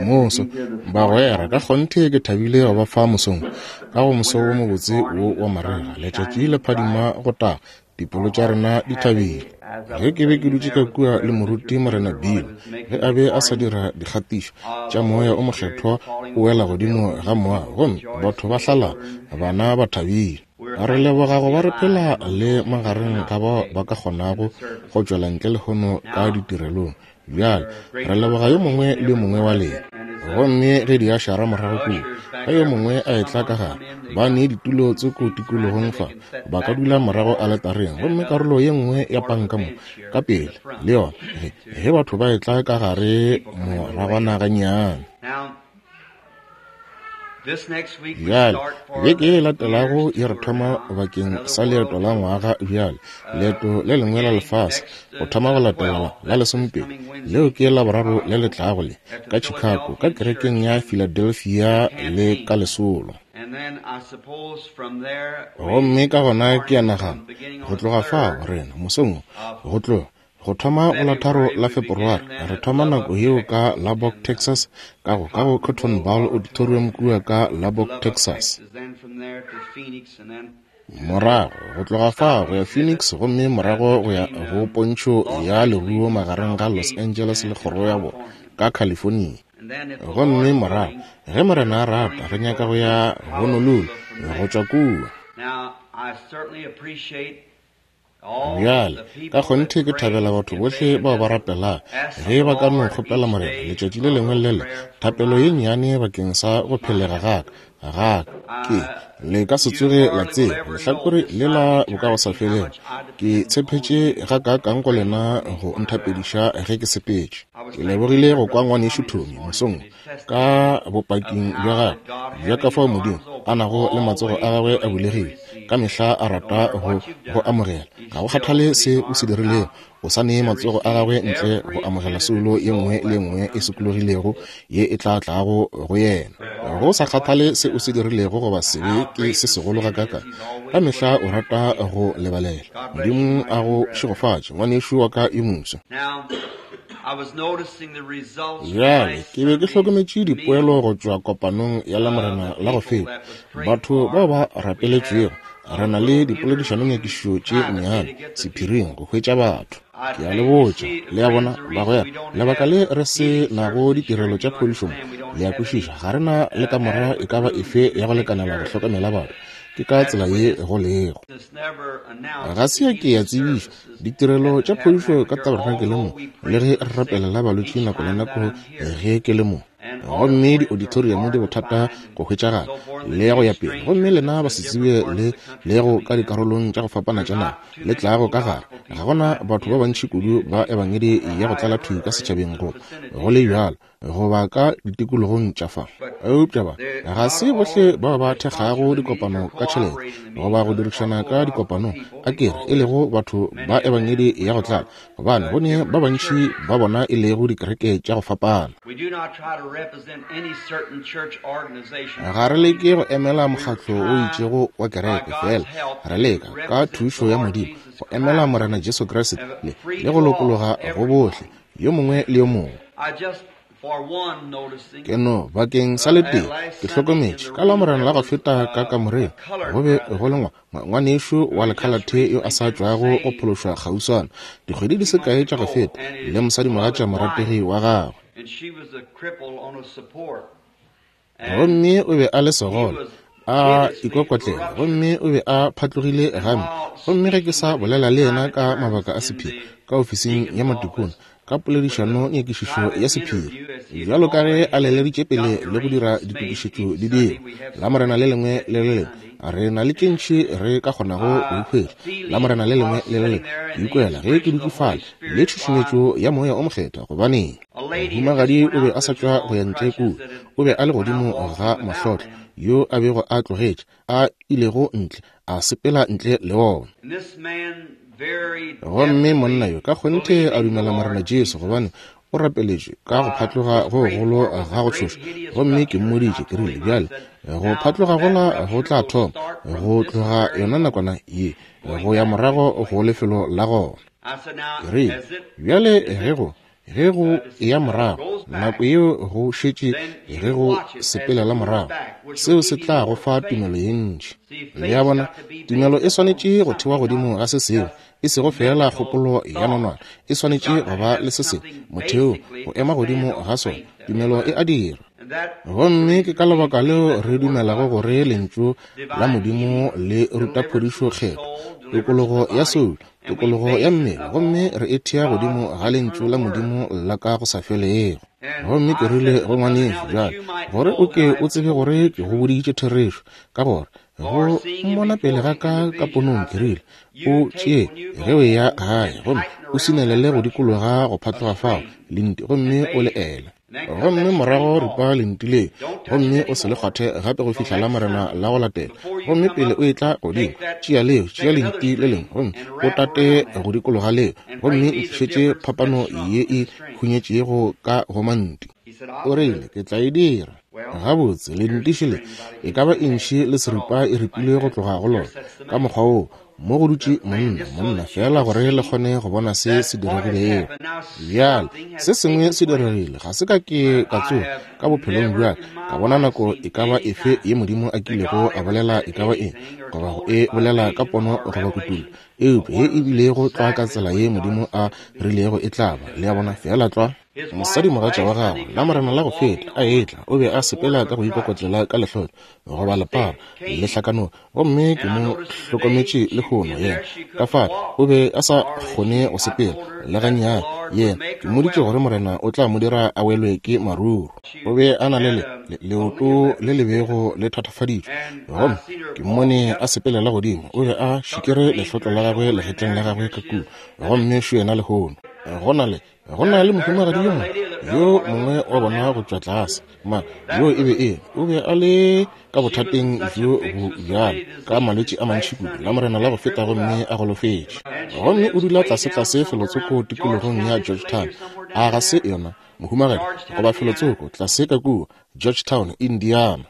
Moso, bagwera, ka kgonthe ke thabile go ba fa mosong, ka go moso wo mobotse wo wa marega, letšatši le phadima go taga, dipelo tša rena di thabile. Ge ke be ke dutše ka kua le moruti Morena Bill, ge a be a sa dira dikgatišo tša Moya o Mokgethwa o wela godimo ga moago, gomme batho ba hlalala, bana ba thabile. Re leboga go ba re phela le magareng ga bao ba ka kgonago go tšwela ntle lehono ka ditirelong. Bjale, re leboga yo mongwe le yo mongwe wa lena. Gomme ge diašara morago kua, ge yo mongwe a etla ka gare, ba ne ditulo tsoko tikologong fa, ba ka dula morago aletareng, gomme karolo ye nngwe ya panka mo, ka pele, le yona, ge, ge batho ba etla ka gare moragwana gannyane. Bjale, beke ye e latelago e re thoma bakeng sa leeto la ngwaga bjale, leeto le lengwe la lefase, go thoma go latela la lesomepedi, leo ke Laboraro le le tlago le, ka Chicago, ka kerekeng ya Philadelphia le ka lesolo. Gomme ka gona ke a nagana, go tloga fao, rena, mosong wo, go tloga, Go thoma go la 3 la Feperware, re thoma nako yeo ka Lubbock, Texas, ka go, ka go Cotton Bowl Auditorium kua ka Lubbock, Texas. Morago, go tloga fa go ya Phoenix, gomme morago go ya go pontšho ya leruo magareng ga Los Angeles le Kgoro ya Borwa, ka California. Gomme morago, ge Morena a rata, re nyaka go ya Honolulu, go tšwa kua. Bjale, ka kgonthe ke thabela batho bohle bao ba rapelago, ge ba ka no kgopela Morena letšatši le lengwe le le thapelo ye nnyane bakeng sa go phelega ga ka, ga ka. Ke, le ka se tsoge la tseba lehlakore le la bokagosafelego. Ke tshephetše gakaakang go lena go nthapediša ge ke sepetše. Ke lebogile go kwa Ngwanešu Tommy mosong wo ka bopaking bja gagwe bja ka fao Modimo a nago le matsogo a gagwe a bulegile ka mehla a rata go go amogela. Ga go kgathale se o se dirilego, o sa nee matsogo a gagwe ntle go amogela soulo ye nngwe le ye nngwe e sokologilego ye e tla tlago go yena. Go sa kgathale se o se dirilego goba sebe ke se segolo gakaakang, ka mehla o rata go lebalela. Modimo a go šegofatše, ngwanešu wa ka yo moswa. Bjale, ke be ke hlokometše dipoelo go tšwa kopanong ya Lamorena la go feta. Batho bao ba rapeletšwego, re na le dipoledišanonyakišišo tše nnyane sephiring go hwetša batho. Ke a le botša, le a bona, bagwera, lebaka le re se nago ditirelo tša phodišo mo, le a kwešiša, ga re na le kamora e ka ba efe ya go lekanela go hlokomela batho. Ke ka tsela ye go lego. Ga se ya ke ya tsebišwa Ditirelo tša phodišo ka tabernakeleng mo, le ge re rapelela balwetši nako le nako ge ke le mo. Gomme di-auditorium di bothata go hwetšagala, le go ya pele. Gomme lena ba se tsebe le lego ka dikarolong tša go fapana tša naga, le tlago ka gare. Ga gona batho ba bantši kudu ba ebangedi ya go tlala thwi ka setšhabeng go, go le bjalo. goba ka ditikologong tša fa. Eupša ba ga se bohle bao ba thekgago dikopano ka tšhelete goba go dirišana ka dikopanong, a ke re, e lego batho ba ebangedi ya go tlala, gobane go ne ba bantši ba bona e lego dikereke tša go fapana. Ga re leke go emela mokgatlo o itšego wa kereke, fela re leka, ka thušo ya Modimo, go emela Morena Jesu Kriste le, le go lokologa go bohle, yo mongwe le yo mongwe. Ke no bakeng sa letee ke hlokometše ka Lamorena la go feta ka kamoreng go be go le ngwanešu wa lekhalathe yo a sa tšwago go phološwa kgauswana dikgwedi di se kae tša go feta le mosadimogatša morategi wa gagwe. Gomme o be a le segole, a ikokotlela, gomme o be a phatlogile gampe. Gomme ge ke sa bolela le yena ka mabaka a sephiri ka ofising ya matikone, ka poledišano nyakišišo ya sephiri, bjalo ka ge a leleditše pele le go dira ditokišetšo di dirwa, Lamorena le lengwe le le lengwe, re na le tše ntši re ka kgonago go di hwetša, Lamorena le lengwe le le lengwe. Ke ikwela ge ke dutše fale le tšhušumetšo ya Moya o Mokgethwa. Gobaneng? Mohumagadi o be a sa tšwa go ya ntle kua. O be a le godimo ga mahlotlo, yo a bego a tlogetše, a ilego ntle, a sepela ntle le ona. Gomme monna yo ka kgonthe a dumela Morena Jesu, gobane o rapeletšwe ka go phatloga go gogolo ga go tšhoša. Gomme ke mmoditše, ke rile, Bjale, go phatloga gola go tla thoma go tloga yona nakwana ye, go ya morago go lefelo la gona. Ke rile, Bjale ge go, ge go eya morago Nako yeo go šetše ge go sepelela morago, seo se tla go fa tumelo ye ntši. Le a bona, tumelo e swanetše go thewa godimo ga se sengwe, e sego feela kgopolo ya nonwane, e swanetše go ba le se sengwe, motheo, go ema godimo ga sona. Tumelo e a dira. Gomme ke ka lebaka leo re dumelago gore Lentšu la Modimo le ruta phodišo Kgethwa, tokologo ya soulo, tokologo ya mmele, gomme re e thea godimo ga Lentšu la Modimo la ka go sa felego. Gomme ke rile go ngwanešu, bjale, gore o ke o tsebe gore ke go boditše therešo, ka gore go mmona pele ga ka ka ponong, ke rile, o tšee ge o eya gae gomme o sinelele go dikologa go phatloga fao lenti, gomme o le ele. Gomme morago ripa lenti le, gomme o se le kgwathe gape go fihla la Morena la go latela. Gomme pele o etla godimo, tšea leo, tšea lenti le lengwe, gomme o tate go dikologa leo, gomme ntlišetše phapano ye e hunyetšego ka go manti. O rile, Ke tla e dira. Gabotse, lentiši le e ka ba intšhi le seripa e ripilwe go tloga go lona, ka mokgwa woo. Mo go dutše monna, monna, feela gore le kgone go bona se se diregilego. Bjale, se sengwe se diregile. Ga se ka ke ka tsoga ka bophelong bja ka bona nako e ka ba efe ye Modimo a kilego a bolela e ka ba eng, goba go e bolela ka pono goba kutullo, eupša ye e bilego tlwa ka tsela ye Modimo a rilego e tla ba. Le a bona, feela tlwa. Mosadimogatša wa gagwe, Lamorena la go feta, a etla, o be a sepela ka go ikokotlela ka lehlotlo, goba lepara, le hlakanoga. Gomme ke mo hlokometše lehono, yena, ka fale, o be a sa kgone go sepela, le gannyane. Yena, ke mmoditše gore Morena o tla mo dira a welwe ke maruru. O be a na le le, le, leoto le le bego le thatafaditšwe. Gomme ke mmone a sepelela godimo, o be a šikere lehlotlo la gagwe legetleng la gagwe ka kua. Gomme šo yena lehono. Go na le Go na le mohumagadi yo mongwe, yo mongwe wa bona go tšwa tlase, ma, yo e be e, o be a le ka bothateng bjo bo bjalo, ka malwetši a mantši kudu, Lamorena la go feta gomme a golofetše. Gomme o dula tlasetlase felotsoko tikologong ya Georgetown. A ga se yona, mohumagadi, goba felotsoko tlase ka kua, Georgetown, Indiana.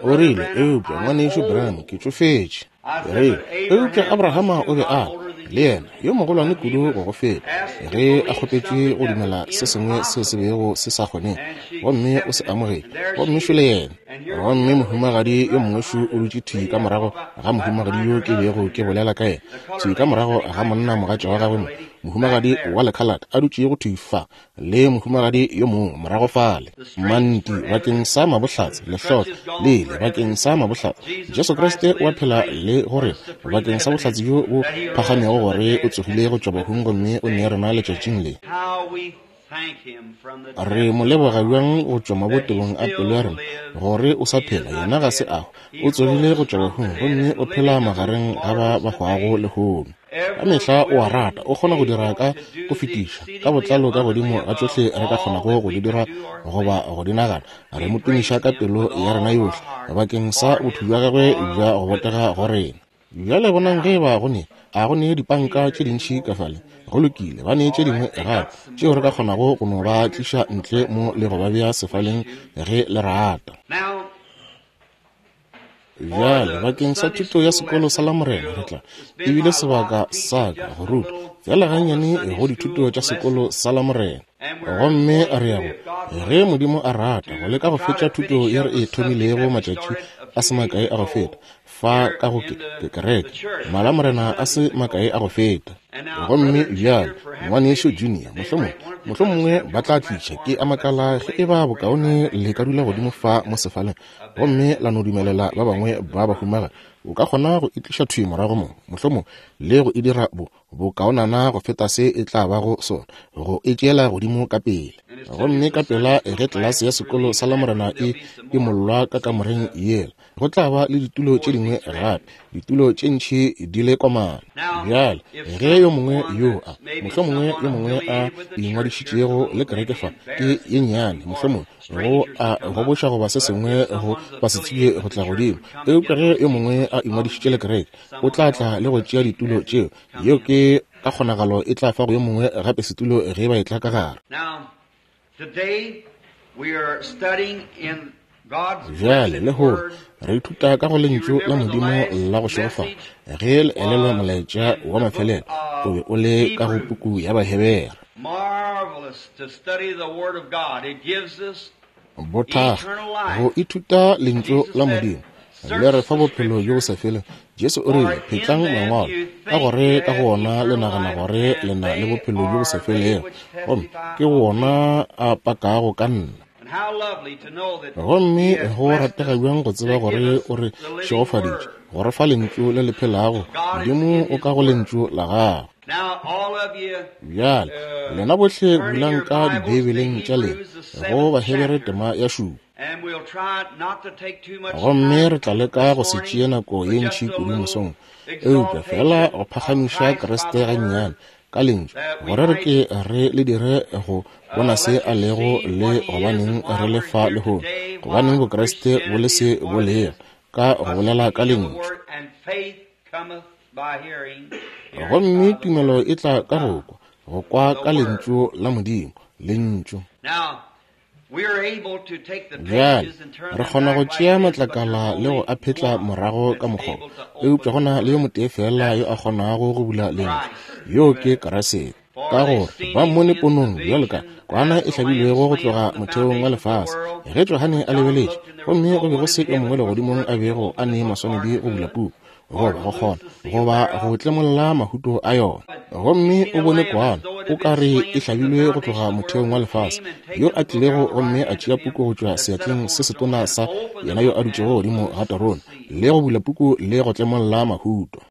O rile, Eupša, Ngwanešu Branham, ke tšofetše. Re, eupša Abrahama o be a le yena yo mogolwane kudu go go feta, ge a kgopetšwe go dumela se sengwe seo se bego se sa kgonege, gomme o se amogetše, gomme šole yena. Gomme mohumagadi yo mongwe šo o dutše thwi ka morago ga mohumagadi yo ke bego ke bolela ka yena, thwi ka morago ga monna mogatša wa gagwe mo, mohumagadi wa lekhalate a dutšego thwi fa, le mohumagadi yo mongwe morago fale. Manti bakeng sa mabohlatse, lehlotlo le ile bakeng sa mabohlatse. Jesu Kriste o a phela le go rena bakeng sa bohlatse bjo bo phagamego gore o tsogile go tšwa bahung gomme o ne rena letšatšing le. Re mo leboga bjang go tšwa mabotebong a pelo ya rena gore o sa phela, yena ga se a hwa, o tsogile go tšwa bahung gomme o phela magareng ga ba ba hwago lehono. Ka mehla o a rata, o kgona go dira ka go fetiša, ka botlalo ka godimo ga tšohle re ka kgonago go di dira goba go di nagana. Re mo tumiša ka pelo ya rena yohle bakeng sa botho bja gagwe bja go botega go rena. Bjale bonang ge e ba go ne, a go ne dipanka tše dintši ka fale. Go lokile, ba ne tše dingwe gape tšeo re ka kgonago go no ba tliša ntle mo le go ba bea sefaleng ge le rata. Bjale, bakeng sa thuto ya sekolo sa Lamorena, re tla, e bile sebaka sa ka go ruta feela gannyane go dithuto tša sekolo sa Lamorena. Gomme re ya go, ge Modimo a rata, go leka go fetša thuto ye re e thomilego matšatši a se makae a go feta, fa ka go ke, ke kereke, Malamorena a se makae a go feta. Gomme bjale, Ngwanešu Junior, mohlomongwe, mohlomongwe ba tla tliša, ke a makala ge eba bokaone le ka dula godimo fa mo sefaleng gomme la no dumelela ba bangwe ba bahumagadi. O ka kgona go e tliša thwi morago mo, mohlomongwe, le go e dira bo, bokaonana go feta se e tla bago sona, go e tšeela godimo ka pele. Gomme ka pela ge tlelase ya sekolo sa Lamorena e imollwa ka kamoreng yela, go tla ba le ditulo tše dingwe gape, ditulo tše ntši di le komana. Bjale, ge yo mongwe yo a, mohlomongwe yo mongwe a ingwadišitšego le kereke fa, ke ye nnyane, mohlomongwe, go a goboša goba se sengwe go ba se tsebje go tla godimo. Eupša ge yo mongwe a ingwadišitše le kereke, o tla tla le go tšea ditulo tšeo. Yeo ke ka kgonagalo e tla fa go yo mongwe gape setulo ge ba etla ka gare. Bjale, lehono, re ithuta ka go Lentšu la Modimo la go šegofala. Ge le elelwa molaetša wa mafelelo, o be o le ka go puku ya Bahebere. Bothakga, go ithuta Lentšu la Modimo, le re fa bophelo bjo bo sa felego. Jesu o rile, Phetlang Mangwalo, ka gore ka go wona le nagana gore le na le bophelo bjo bo sa felego, gomme ke wona a pakago ka nna. Gomme go ratega bjang go tseba gore o re šegofaditše, go re fa Lentšu le le phelago. Modimo o ka go Lentšu la Gagwe. Bjale, lena bohle bulang ka Dibeibeleng tša lena, go Bahebere tema ya 7. Gomme re tla leka go se tšee nako ye ntši kudu mosong, eupša feela go phagamiša Kriste gannyane ka Lentšu, gore re ke re le dire go bona se a lego le gobaneng re le fa lehono, gobaneng Bokriste bo le se bo lego, ka go bolela ka Lentšu. Gomme tumelo e tla ka go kwa, go kwa ka Lentšu la Modimo, Lentšu. Bjale, re kgona go tšea matlakala le go a phetla morago ka mokgwa, eupša go na le yo motee feela yo a kgonago go bula Lentšu, yoo ke Kriste. Ka gore ba mmone ponong bjalo ka kwana e hlabilwego go tloga motheong wa lefase, ge Johane a lebeletše, gomme go be go se yo mongwe legodimong a bego a ne maswanedi go bula puku, goba go kgona, goba go tlemolla mahuto a yona. Gomme o bone kwana, o ka re e hlabilwe go tloga motheong wa lefase, yo a tlilego gomme a tšea puku go tšwa seatleng se setona sa yena yo a dutšego godimo ga terone, le go bula puku le go tlemolla mahuto.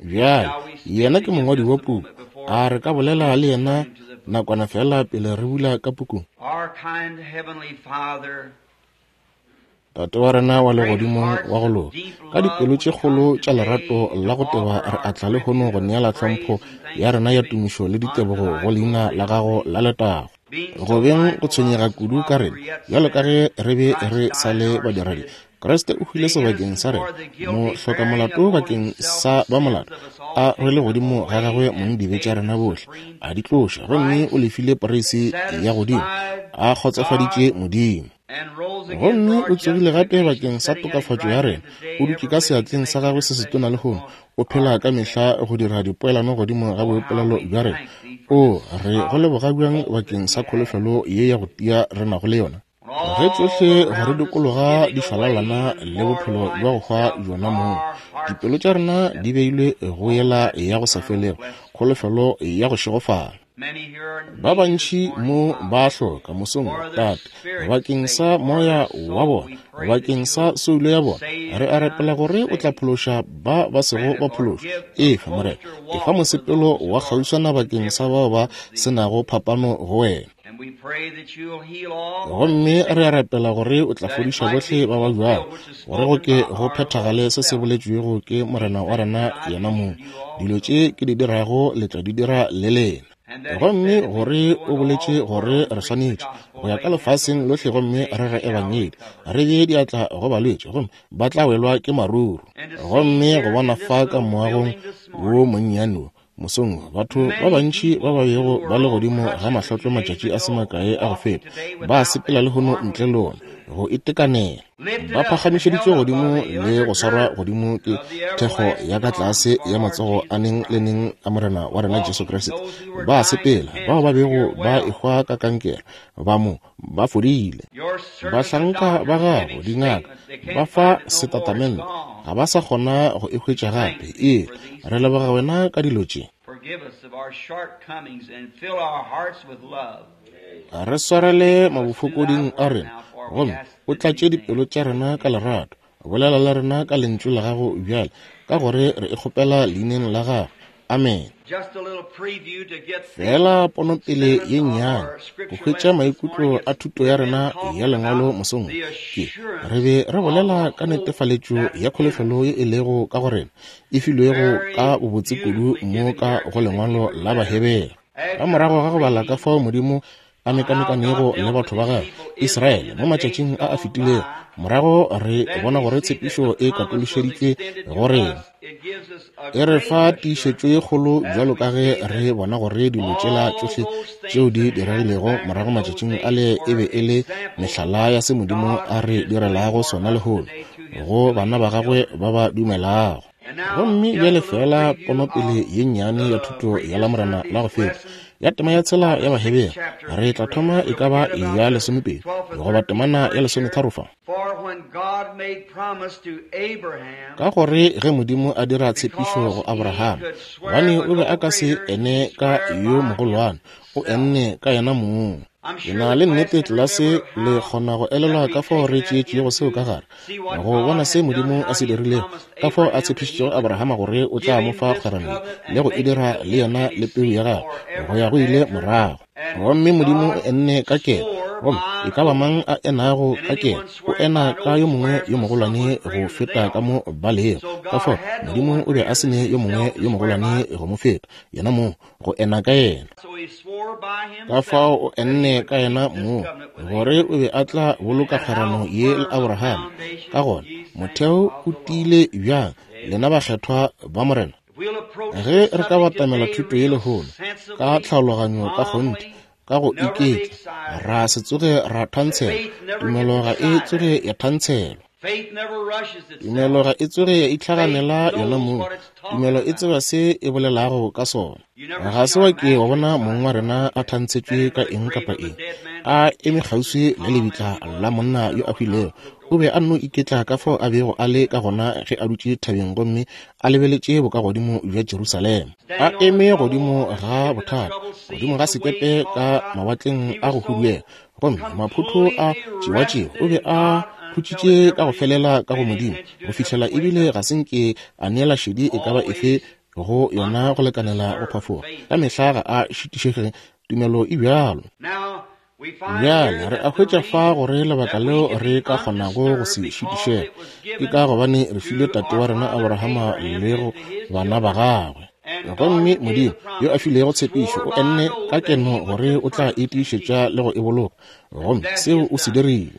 Bjale, yena ke mongwadi wa puku. A re ka bolela le yena nakwana feela pele re bula ka pukung? Tate wa rena wa legodimong wa go loka, ka dipelo tše kgolo tša lerato la go teba re atla lehono go neela tlhompho ya rena ya tumišo le ditebogo go leina la gago la letago. Go beng go tshwenyega kudu ka rena, bjalo ka ge re be re sa le badiredi, Kriste o hwile sebakeng sa rena, mohlokamolato bakeng sa ba molato, a rwele godimo ga gagwe mong dibe tša rena bohle, a di tloša, gomme o lefile poreisi ya godimo, a kgotsofaditše Modimo. Gomme o tsogile gape bakeng sa tokafatšo ya rena, o dutše ka seatleng sa gagwe se setona lehono, o phela ka mehla go dira dipoelano godimo ga boipolelo bja rena. O re go leboga bjang bakeng sa kholofelo ye ya go tia re nago le yona, ge tsohle go re dikologa di šwalalana le bophelo bja go hwa bjona moo. Dipelo tša rena di beilwe go yela ya go sa felego, kholofelo ya go šegofala. Ba bantši mo ba hloka mosong, Tate, bakeng sa moya wa bona, bakeng sa soulo ya bona. Re a rapela gore o tla phološa ba ba sego ba phološwa. Efa, Morena, efa mosepelo wa kgauswana bakeng sa bao ba se nago phapano go wena. Gomme re a rapela gore o tla fodiša bohle ba ba bjalo, gore go ke go phethagale se se boletšwego ke Morena wa rena yena mong, dilo tše ke di dirago le tla di dira le lena. Gomme gore o boletše gore re swanetše go ya ka lefaseng lohle gomme re re ebangedi, re bee diatla go balwetši, gomme ba tla welwa ke maruru. Gomme go bona fa ka moagong wo monnyane wo mosong, batho ba bantši ba ba bego ba le godimo ga mahlotlo matšatši a se makae a go feta, ba sepela lehono ntle le ona go itekanela, ba phagamišeditšwe godimo le go swarwa godimo ke thekgo ya ka tlase ya matsogo a neng le neng a Morena wa rena Jesu Kriste. Ba sepela, bao ba bego ba ehwa ka kankere ba mo ba fodile. Bahlanka ba gago, dingaka, ba fa setatamente, ga ba sa kgona go e hwetša gape. Ee, re leboga wena ka dilo tše. Re swarele mabofokoding a rena, gomme o tlatše dipelo tša rena ka lerato. Bolela le rena ka lentšu la gago bjale, ka gore re e kgopela leineng la gago. Amen. Feela ponopele ye nnyane go hwetša maikutlo a thuto ya rena ya lengwalo mosong ke re be re bolela ka netefaletšo ya kholofelo ye e lego ka go rena, e filwego ka bobotse kudu mo ka go lengwalo la Bahebere. Ka morago ga go bala ka fao Modimo a mekamekanego le batho ba gagwe Israele mo matšatšing a a fetilego, morago re bona gore tshepišo e katološeditšwe go rena. E re fa tiišetšo ye kgolo bjalo ka ge re bona gore dilo tšela tšohle tšeo di diregilego morago matšatšing ale e be e le mehlala ya se Modimo a re direlago sona lehono go bana ba gagwe ba ba dumelago. Gomme bjale feela ponopele ye nnyane ya thuto ya Lamorena la go feta, ya tema ya tshela ya Bahebere. Re tla thoma e ka ba ya lesomepedi goba temana ya lesometharo fa. Ka gore ge Modimo a dira tshepišo go Abraham, gobane o be a ka se ene ka yo mogolwane, o enne ka yena mong. Ke na le nnete tlelase le kgona go elelwa ka fao re tšeetšego seo ka gare, go bona se Modimo a se dirilego, ka fao a tshepišitšego Abrahama gore o tla mo fa kgwerano ye, le go e dira le yena le peu ya gagwe go ya go ile morago. Gomme Modimo o enne ka keno, gomme e ka ba mang a enago ka keno, o ena ka yo mongwe yo mogolwane go feta ka mo ba lego. Ka fao Modimo o be a se ne yo mongwe yo mogolwane go mo feta, yena mong, go ena ka yena. Ka fao o enne ka yena mong gore o be a tla boloka kgwerano ye le Abraham. Ka gona motheo o tiile bjang, lena bakgethwa ba Morena? Ge re ka batamela thuto ye lehono ka tlhaologanyo ka kgonthe, ka go iketla, ra se tsoge ra thantshelwa. Tumelo ga e tsoge ya thantshelwa. Tumelo ga e tsoge ya itlhaganela yona mong. Tumelo e tseba se e bolelago ka sona. Ga se wa ke wa bona mong wa rena a thantshetšwe ka eng kapa eng, a eme kgauswi le lebitla la monna yo a hwilego. O be a nno iketla ka fao a bego a le ka gona ge a dutše thabeng gomme a lebeletše bokagodimo bja Jerusalema, a eme godimo ga bothata, godimo ga sekepe ka mawatleng a go huduega, gomme maphotho a tšewatšewa. O be a khutšitše ka go felela ka go Modimo go fihlela ebile ga se nke a neela šedi e ka ba efe go yona go lekanela go phafoga. Ka mehla ga a šitišege, tumelo e bjalo. Bjale re a hwetša fa gore lebaka leo re ka kgonago go se šitišege ke ka gobane re filwe tate wa rena Abrahama le go bana ba gagwe. Gomme Modimo yo a filego tshepišo o enne ka keno gore o tla e tiišetša le go e boloka, gomme seo o se dirile.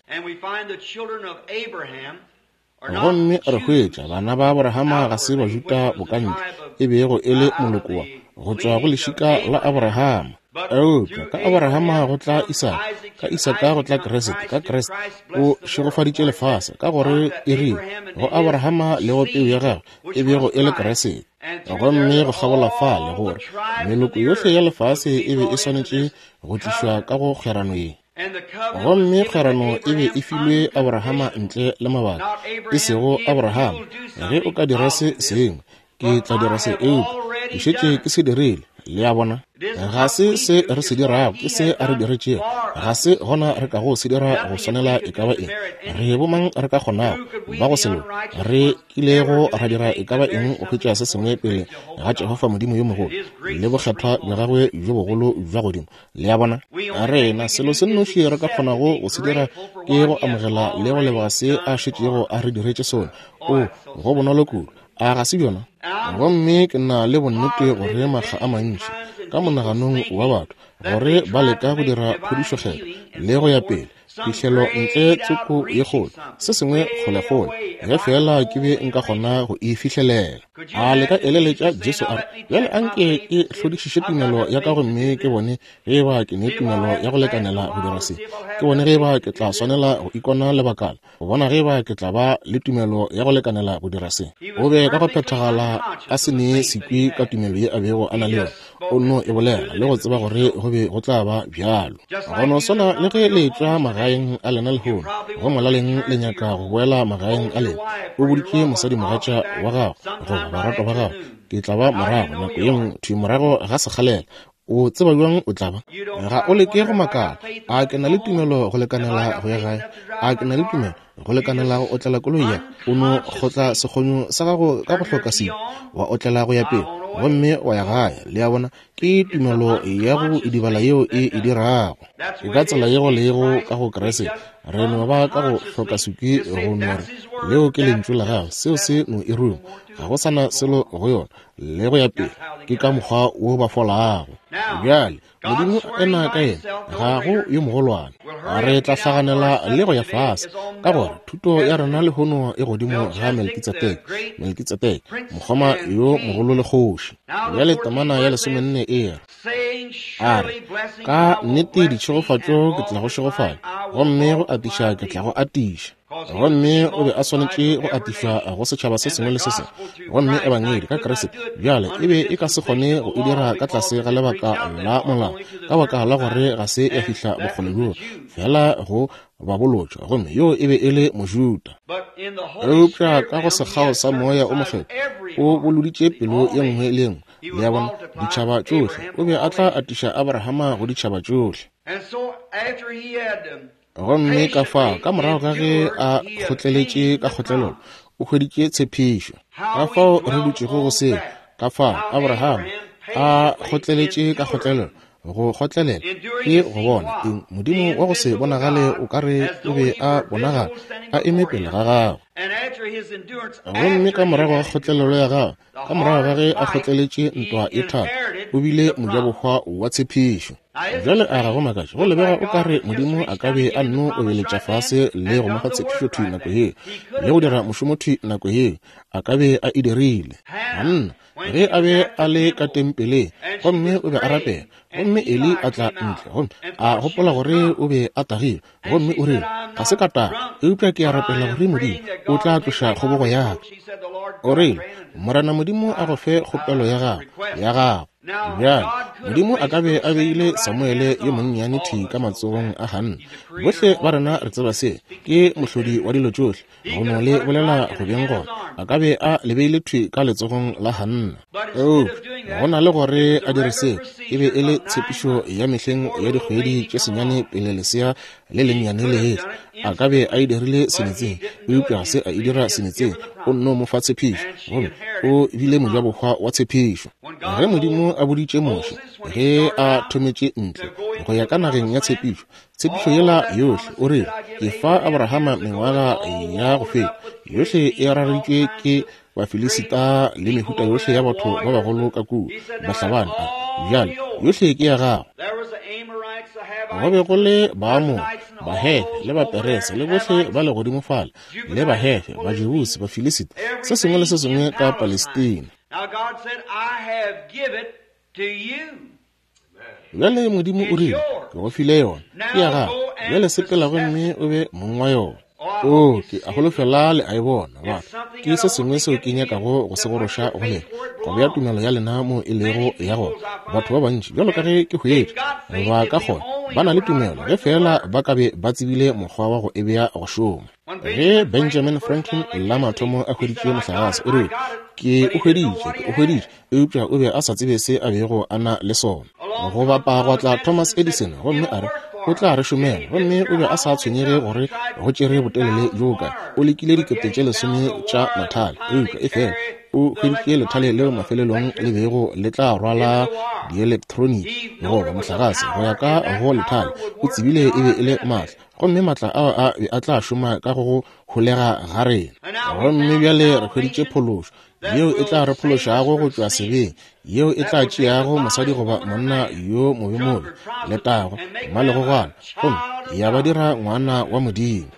Gomme re hwetša bana ba Abrahama ga se Bajuda bokantle, e bego e le moloko wa go tšwa go lešika la Abrahama. Eupša ka Abrahama go tla Isaka, ka Isaka go tla Kriste, ka Kriste o šegofaditše lefase, ka gore e rile go Abrahama le go peu ya gagwe, e bego e le Kriste. Gomme go kgabola fale gore meloko yohle ya lefase e be e swanetše go tlišwa ka go kgwerano ye. Gomme kgwerano e be e filwe Abrahama ntle le mabaka, e sego Abrahama, ge o ka dira se sengwe, ke tla dira se, eupša ke šetše ke se dirile. Le a bona? Ga se se re se dirago, ke se a re diretšego. Ga se gona re kago se dira go swanela e ka ba eng. Re bomang re ka kgonago ba go se loke, re kilego ra dira e ka ba eng go hwetša se sengwe pele ga Jehofa Modimo yo mogolo le bokgethwa bja gagwe bjo bogolo bja godimo. Le a bona? Rena, selo se nnoši re ka kgonago go se dira ke go amogela le go leboga se a šetšego a re diretše sona. O, go bonolo kudu. A ga se bjona? Gomme ke na le bonnete gore makga a mantši ka monaganong wa batho gore ba leka go dira phodišokgethwa le go ya pele, phihlelo ntle tsoko ye kgolo, se sengwe kgolekgole, ge feela ke be nka kgona go e fihlelela. A le ka eleletša Jesu a re, Bjale a nke ke hlodišiše tumelo ya ka gomme ke bone ge eba ke ne tumelo ya go lekanela go dira se, ke bone ge eba ke tla swanela go ikona lebakala, go bona ge eba ke tla ba le tumelo ya go lekanela go dira se. O be ka go phethagala a se ne sekwi ka tumelo ye a bego a na le yona. O nno e bolela le go tseba gore go be go tla ba bjalo. Go no swana le ge le etšwa magaeng a lena lehono, go molaleng le nyaka go boela magaeng a lena. O boditše mosadimogatša wa gago goba baratwa ba gago, Ke tla ba morago nako ye nngwe, thwi morago ga sekgalela. O tseba bjang o tla ba? Ga o leke go makala, A ke na le tumelo go lekanela go ya gae? A ke na le tumelo go lekanela go otlela koloi ya ka? O no kgotla sekgonyo sa gago ka go hloka sebe, wa otlela go ya pele, gomme wa ya gae. Le a bona, ke tumelo ya go idibala yeo e e dirago. Ke ka tsela ye go lego ka go Kriste. Re no ba ka go hloka sekwi go no re, Leo ke Lentšu la Gagwe, seo se no e ruma. Ga go sa na selo go yona. le go ya pele. Ke ka mokgwa wo ba folago. Bjale, Modimo ena ka yena, ga go yo mogolwane. Re tla hlaganela le go ya fase, ka gore thuto ya rena lehono e godimo ga Melkitsedeke, Melkitsedeke, mokgoma yo mogolo le kgoši. Bjale temana ya lesomenne e re, A re, Ka nnete ditšhegofatšo ke tla go šegofatša, Gomme go atiša ke tla go atiša. Gomme o be a swanetše go atišwa go setšhaba se sengwe le se sengwe. Gomme Ebangedi ka Kriste bjale e be e ka se kgone go e dira ka tlase ga lebaka la molao, ka baka la gore ga se ya fihla bokgole bjoo, feela go babolotšwa, gomme yoo e be e le Mojuda. Eupša ka go sekgao sa Moya o Mokgethwa o boloditše pelo ye nngwe le ye nngwe, le a bona, ditšhaba tšohle. O be a tla atiša Abrahama go ditšhaba tšohle. Gomme ka fao, ka morago ga ge a kgotleletše ka kgotlelelo, o hweditše tshepišo. Ka fao re dutšego go seo, ka fao Abraham a kgotleletše ka kgotlelelo, go kgotlelela ke go bona eng? Modimo wa go se bonagale o ka re o be a bonagala a eme pele ga gagwe. Gomme ka morago ga kgotlelelo ya gagwe, ka morago ga ge a kgotleletše ntwa e thata, o bile mojabohwa wa tshepišo. Bjale a ga go makatše go lebega o ka re Modimo a ka be a nno obeletša fase le go mo fa tshepišo thwi nako yeo, le go dira mošomo thwi nako yeo, a ka be a e dirile. Hanna, ge a be a le ka tempeleng gomme o be a rapela, gomme Eli a tla ntle gomme a gopola gore o be a tagilwe, gomme o rile, Ga se ka taga, eupša ke a rapela gore Modimo o tla tloša kgobogo ya ka. O rile, Morena Modimo a go fe kgopelo ya gago, ya gago. Bjale, Modimo a ka be a beile Samuele yo monnyane thwi ka matsogong a Hanna. Bohle ba rena re tseba se, ke mohlodi wa dilo tšohle. Go no le bolela go beng gona, a ka be a le beile thwi ka letsogong la Hanna. Eupša go na le gore a dire seo, e be e le tshepišo ya mehleng ya dikgwedi tše senyane pele lesea le lennyane le etla. A ka be a e dirile semetseng, eupša ga se a e dira semetseng. O nno mo fa tshepišo, gomme o bile mojabohwa wa tshepišo. Ge Modimo a boditše Moshe, ge a thometše ntle go ya ka nageng ya tshepišo, Tshepišo yela yohle, o rile, Ke fa Abrahama mengwaga ya go feta yohle e rareditšwe ke Bafilisita le mehuta yohle ya batho ba bagolo ka kua, bahlabani. A bjale yohle ke ya gago. Go be go le Baamore, Bahefe le Baperese le bohle ba le godimo fale, le Bahefe, Bajebusi, Bafilisita, se sengwe le se sengwe ka Palestina. Bjale Modimo o rile, Ke go file yona, ke ya gago. Bjale sepela gomme o be mong wa yona. Oo, ke a holofela le a e bona, batho. Ke se sengwe seo ke nyakago go se goroša go lena, go bea tumelo ya lena moo e lego ya gona. Batho ba bantši, bjalo ka ge ke hwetša, ba ka kgona, ba na le tumelo, ge feela ba ka be ba tsebile mokgwa wa go e bea go šoma. Ge Benjamin Franklin la mathomo a hweditše mohlagase, o rile, Ke o hweditše, ke o hweditše. Eupša o be a sa tsebe se a bego a na le sona. Go bapa gwa tla Thomas Edison gomme a re, O tla re šomela. Gomme o be a sa tshwenyege gore go tšere botelele bjo bokae. O lekile dikete tše lesome tša mathale, eupša efela o hweditše lethale leo mafelelong le bego le tla rwala dielektroniki goba mohlagase go ya ka go lethale. O tsebile e be e le maatla, gomme maatla ao a be a tla šoma ka go go holega ga rena. Gomme bjale re hweditše phološo yeo e tla re phološago go tšwa sebeng, yeo e tla tšeago mosadi goba monna yo mobemobe, letago, mmalegogwana, gomme ya ba dira ngwana wa Modimo.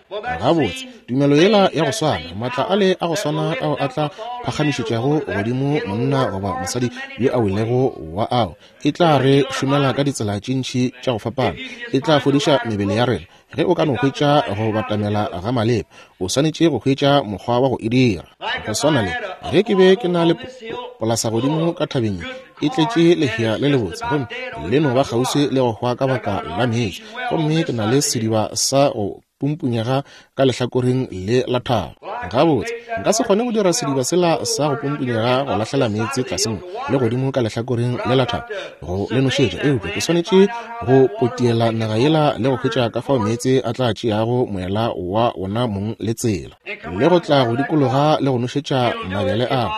Gabotse, tumelo yela ya go swana, maatla ale a go swana ao a tla phagamišetšago godimo monna goba mosadi yo a welego wa ao, e tla re šomela ka ditsela tše ntši tša go fapana, e tla fodiša mebele ya rena. Ge o ka no hwetša go batamela ga maleba, o swanetše go hwetša mokgwa wa go e dira. Go swana le ge ke be ke na le polasa godimo ka thabeng e tletše lehea le lebotse, gomme le no ba kgauswi le go hwa ka baka la meetse, gomme ke na le sediba sa go pumpunyega ka lehlakoreng le la thaba. Gabotse, nka se kgone go dira sediba sela sa go pumpunyega go lahlela meetse tlase mo le godimo ka lehlakoreng le la thaba go le nošetša, eupša ke swanetše go potiela naga yela le go hwetša ka fao meetse a tla tšeago moela wa wona mong le tsela, le go tla go dikologa le go nošetša mabele ao.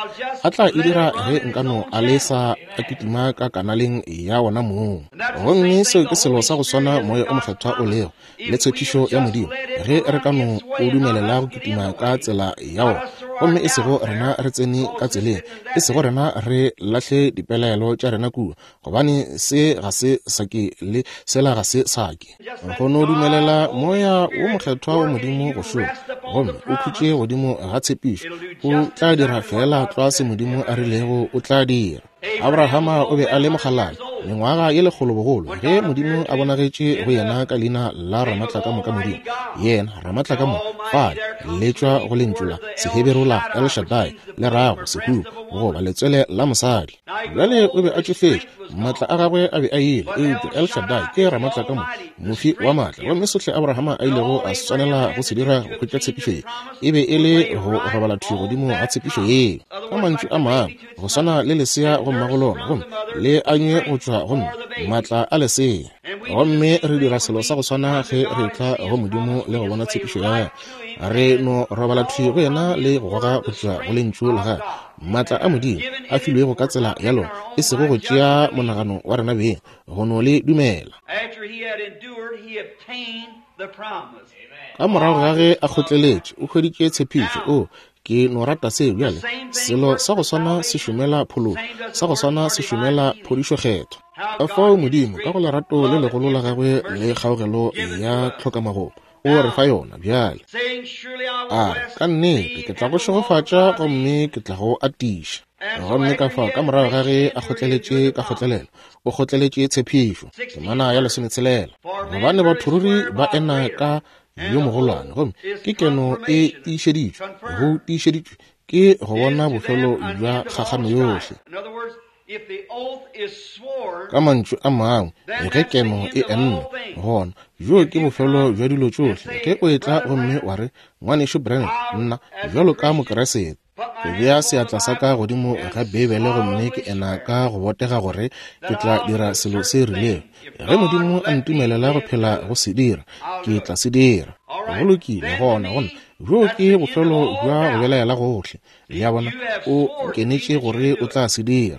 A tla e dira ge nka no a lesa a kitima ka kanaleng ya wona mong. Gomme seo ke selo sa go swana Moya o Mokgethwa o lego, le tshepišo ya Modimo, ge re ka no o dumelela go kitima ka tsela ya wona, gomme e sego rena re tsene ka tseleng, e sego rena re lahle dipelaelo tša rena kua, gobane se ga se sa ke le sela ga se sa ke. Go no dumelela Moya wo Mokgethwa wa Modimo go šoma, gomme o khutše godimo ga tshepišo, o tla dira feela tlwa se Modimo a rilego o tla dira. Abrahama o be a le mokgalabje. Mengwaga ye lekgolo bogolo, ge Modimo a bonagetše go yena ka leina la Ramatlakamoka Modimo, yena Ramatlakamoka, fale le tšwa go lentšu la Seheberu la El Shaddai, le rago sehuba goba letswele la mosadi. Bjale o be a tšofetše, maatla a gagwe a be a ile, eupša El Shaddai ke Ramatlakamoka, mofi wa maatla. Gomme sohle Abrahama a ilego a swanela go se dira go hwetša tshepišo ye, e be e le go robala thwi godimo ga tshepišo yeo. Ka mantšu a mangwe, go swana le lesea go mmago lona, gomme le anywe go tšwa go mme, maatla a lesea. Gomme re dira selo sa go swana ge re etla go Modimo le go bona tshepišo ya gagwe. Re no robala thwi go yena le go goga go tšwa go Lentšu la gagwe, maatla a Modimo a filwego ka tsela ya lona, e sego go tšea monagano wa rena beng, go no le dumela. Ka morago ga ge a kgotleletše, o hweditše tshepišo. O, ke no rata seo. Bjale, selo sa go swana se šomela phološo, sa go swana se šomela phodišokgethwa. Ka fao Modimo, ka go lerato le legolo la gagwe le kgaogelo ya tlhokamagomo, o re fa yona bjale. A re, Ka nnete ke tla go šegofatša gomme ke tla go atiša. Gomme ka fao ka morago ga ge a kgotleletše ka kgotlelelo, o kgotleletše tshepišo. Temana ya lesometshela. Gobane batho ruri ba ena ka yo mogolwane, gomme ke keno e tiišeditšwe, go tiišeditšwe ke go bona bofelo bja kgakgano yohle. Ka mantšu a mangwe, ge keno e enne, gona bjoo ke bofelo bja dilo tšohle. Ge o etla gomme wa re, Ngwanešu Branham, nna, bjalo ka Mokeresete, ke bea seatla sa ka godimo ga Beibele gomme ke ena ka go botega gore ke tla dira selo se rilego. Ge Modimo a ntumelela go phela go se dira, ke tla se dira. Go lokile, gona, gona bjoo ke bofelo bja go belaela gohle. Le a bona, o kenetše gore o tla se dira.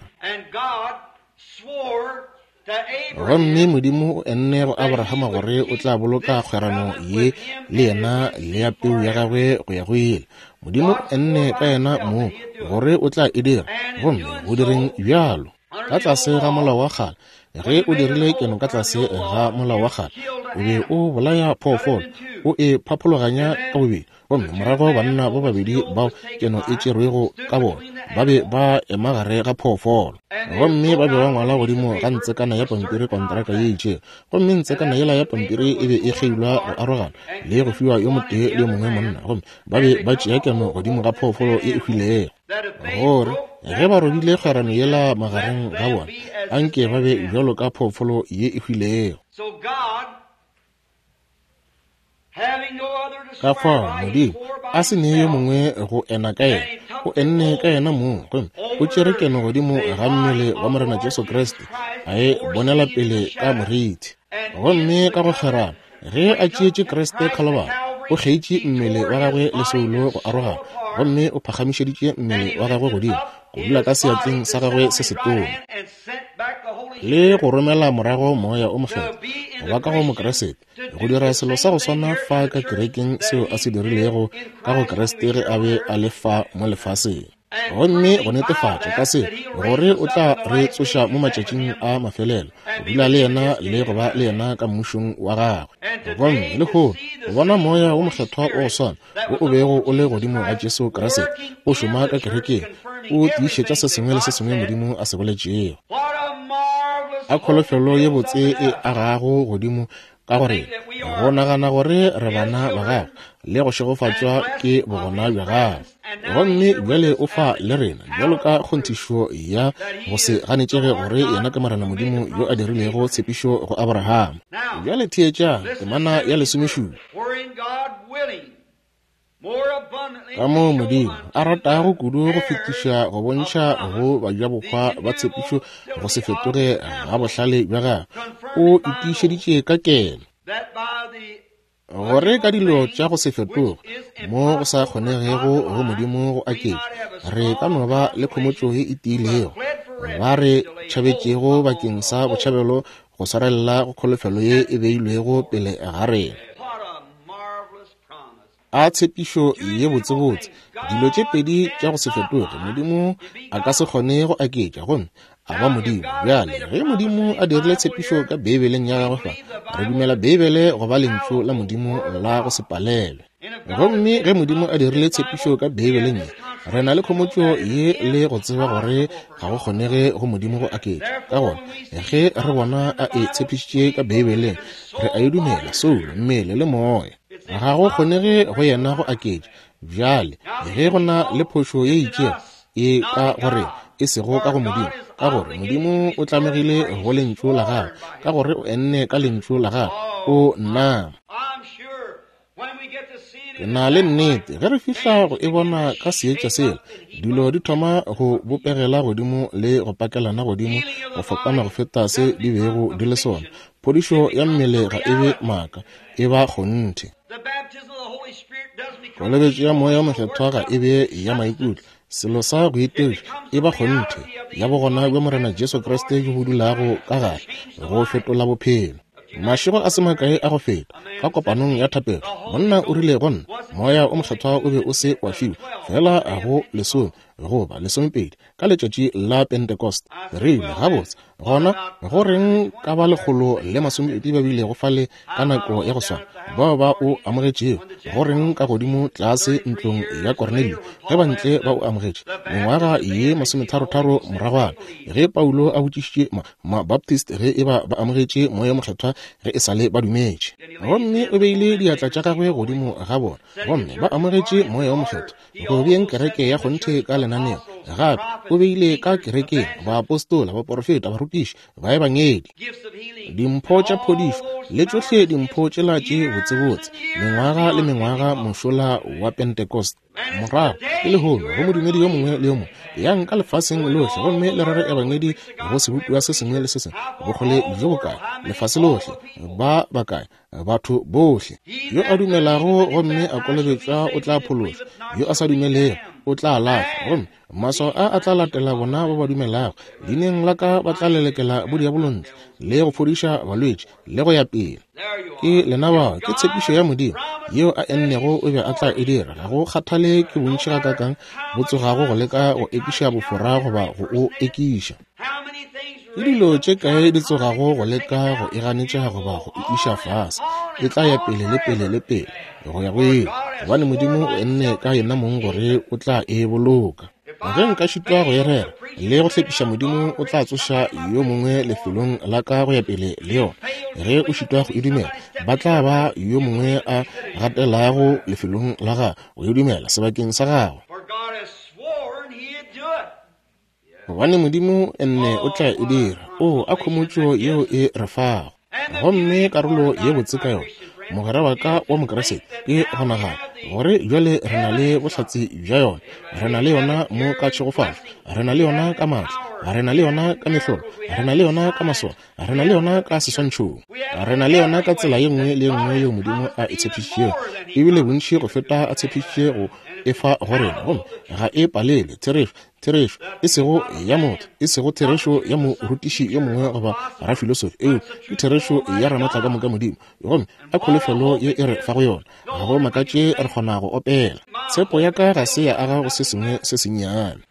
Gomme Modimo o enne go Abrahama gore o tla boloka kgwerano ye le yena le ya peu ya gagwe go ya go ile. Modimo o enne ka yena moo gore o tla e dira, gomme go direng bjalo ka tlase ga molao wa kgale. Ge o dirile keno ka tlase ga molao wa kgale, o be o bolaya phoofolo, o e phaphologanya ka bobedi, gomme morago banna ba babedi bao keno e tšerwego ka bona ba be ba ema gare ga phoofolo, gomme ba be ba ngwala godimo ga ntsekana ya pampiri kontraka ye itšego, gomme ntsekana yela ya pampiri e be e kgeilwa go arogana le go fiwa yo motee le yo mongwe monna, gomme ba be ba tšea keno godimo ga phoofolo ye e hwilego, gore ge ba robile kgwerano yela magareng ga bona, anke ba be bjalo ka phoofolo ye e hwilego. Ka fao Modimo a se nee yo mongwe go ena ka yena, o enne ka yena mong, gomme o tšere keno godimo ga mmele wa Morena Jesu Kriste, a e bonela pele ka morithi. Gomme ka go kgerana, ge a tšeetše Kriste Khalabara, o kgeitše mmele wa gagwe le soulo go arogana, gomme o phagamišeditše mmele wa gagwe godimo, go dula ka seatleng sa gagwe se setona. Le go romela morago Moya o Mokgethwa go ba ka go Mokriste, go dira selo sa go swana fa ka kerekeng seo a se dirilego ka go Kriste ge a be a le fa mo lefaseng. Gomme go netefatša ka se gore o tla re tsoša mo matšatšing a mafelelo, go dula le yena le go ba le yena ka mmušong wa gagwe. Gomme lehono go bona Moya wo Mokgethwa wa go swana wo o bego o le godimo ga Jesu Kriste o šoma ka kerekeng, o tiišetša se sengwe le se sengwe Modimo a se boletšego. A kholofelo ye botse e agago godimo ka gore go nagana gore re bana ba gagwe le go šegofatšwa ke bogona bja gagwe. Gomme bjale o fa le rena bjalo ka kgonthišo ya go se ganetšege gore yena ke Morena Modimo yo a dirilego tshepišo go Abrahama. Bjale theetšang temana ya lesomešupa. Ka moo Modimo a ratago kudu go fetiša go bontšha go bajabohwa ba tshepišo go se fetoge ga bohlale bja gagwe, o itiišeditše ka keno gore ka dilo tša go se fetoge mo go sa kgonegego go Modimo go aketša, re ka no ba le khomotšo ye e tiilego ba re tšhabetšego bakeng sa botšhabelo go swarelela go kholofelo ye e beilwego pele ga rena. A tshepišo ye botsebotse! Dilo tše pedi tša go se fetoge, Modimo a ka se kgone go aketša gomme a ba Modimo. Bjale, ge Modimo a dirile tshepišo ka Beibeleng ya gagwe fa, re dumela Beibele go ba Lentšu la Modimo la go se palelwe. Gomme ge Modimo a dirile tshepišo ka Beibeleng ye, Re na le khomotšo ye le go tseba gore ga go kgonege go Modimo go aketša. Ka gona, ge re bona a e tshepišitše ka Beibeleng, re a e dumela, soulo, mmele le moya. Ga go kgonege go yena go aketša. Bjale, ge go na le phošo ye itšego, e ka gore e sego ka go Modimo, ka gore Modimo o tlamegile go Lentšu la Gagwe, ka gore o enne ka Lentšu la Gagwe, o nama. Ke na le nnete ge re fihla go e bona ka seetša sela, dilo di thoma go bopegela godimo le go pakelana godimo go fapana go feta se di bego di le sona. Phodišo ya mmele ga e be maaka, e ba kgonthe. Kolobetšo ya Moya wo Mokgethwa ga e be ya maikutlo, selo sa go itiriša, e ba kgonthe ya bogona bja Morena Jesu Kriste bjo bo dulago ka gare go fetola bophelo. Mašego a se makae a go feta, ka kopanong ya thapelo, monna o rile go nna, Moya o Mokgethwa o be o se wa fiwa feela go lesome goba lesomepedi ka letšatši la Pentecost. Re rile, Gabotse, gona go reng ka ba 120 ba bilego fale ka nako ya go swana, bao ba o amogetšego? Go reng ka godimo tlase ntlong ya Kornelio, ge bantle ba o amogetše mengwaga ye masometharotharo moragwana, ge Paulo a botšišitše Mabaptist ge e ba ba amogetše Moya Mokgethwa ge e sa le ba dumetše? Gomme o beile diatla tša gagwe godimo ga bona, gomme ba amogetše Moya wo Mokgethwa, go beeng kereke ya kgonthe ka lenaneo. Gape o beile ka kerekeng baapostola, baporofeta, barutiši, baebangedi, dimpho tša phodišo, le tšohle dimpho tšela tše botsebotse, mengwaga le mengwaga mošola wa Pentecost. Morago ke lehono go modumedi yo mongwe le yo mongwe, yang ka lefaseng lohle gomme le rere ebangedi go sebopiwa se sengwe le se sengwe, bokgole bjo bokae, lefase lohle, ba bakae, batho bohle. Yo a dumelago gomme a kolobetšwa o tla phološwa, yo a sa dumelego o tla lahlwa. Gomme maswao a a tla latela bona ba ba dumelago, leineng la ka ba tla lelekela bodiabolontle le go fodiša balwetši le go ya pele. Ke lena bao, ke tshepišo ya Modimo yeo a ennego o be a tla e dira. Ga go kgathale ke bontši gakaakang bo tsogago go leka go ekiša bofora goba go o ekiša. Ke dilo tše kae di tsogago go leka go e ganetša goba go e iša fase, e tla ya pele le pele le pele go ya go ile, gobane Modimo o enne ka yena mong gore o tla e boloka. Ge nka šitwa go e rera le go hlepiša, Modimo o tla tsoša yo mongwe lefelong la ka go ya pele le yona. Ge o šitwa go e dumela, ba tla ba yo mongwe a gatelago lefelong la gago go e dumela sebakeng sa gago. Gobane Modimo enne o tla e dira. O a khomotšo yeo e re fago. Gomme karolo ye botse ka yona, mogwera wa ka wa Mokriste, ke go nagana gore bjale re na le bohlatse bja yona. Re na le yona mo ka tšhegofatšo, re na le yona ka maatla, re na le yona ka mehlolo, re na le yona ka maswao, re na le yona ka seswantšhong, re na le yona ka tsela ye nngwe le ye nngwe yeo Modimo a e tshepišitšego, ebile bontši go feta a tshepišitše go e fa go rena. Gomme ga e palelwe. Therešo, therešo, e sego ya motho, e sego therešo ya morutiši yo mongwe goba rafilosofi, eupša ke therešo ya Ramatlakamoka Modimo. Gomme a kholofelo ye e re fago yona, ga go makatše re kgona go opela. Tshepo ya ka ga se ya aga go se sengwe se sennyane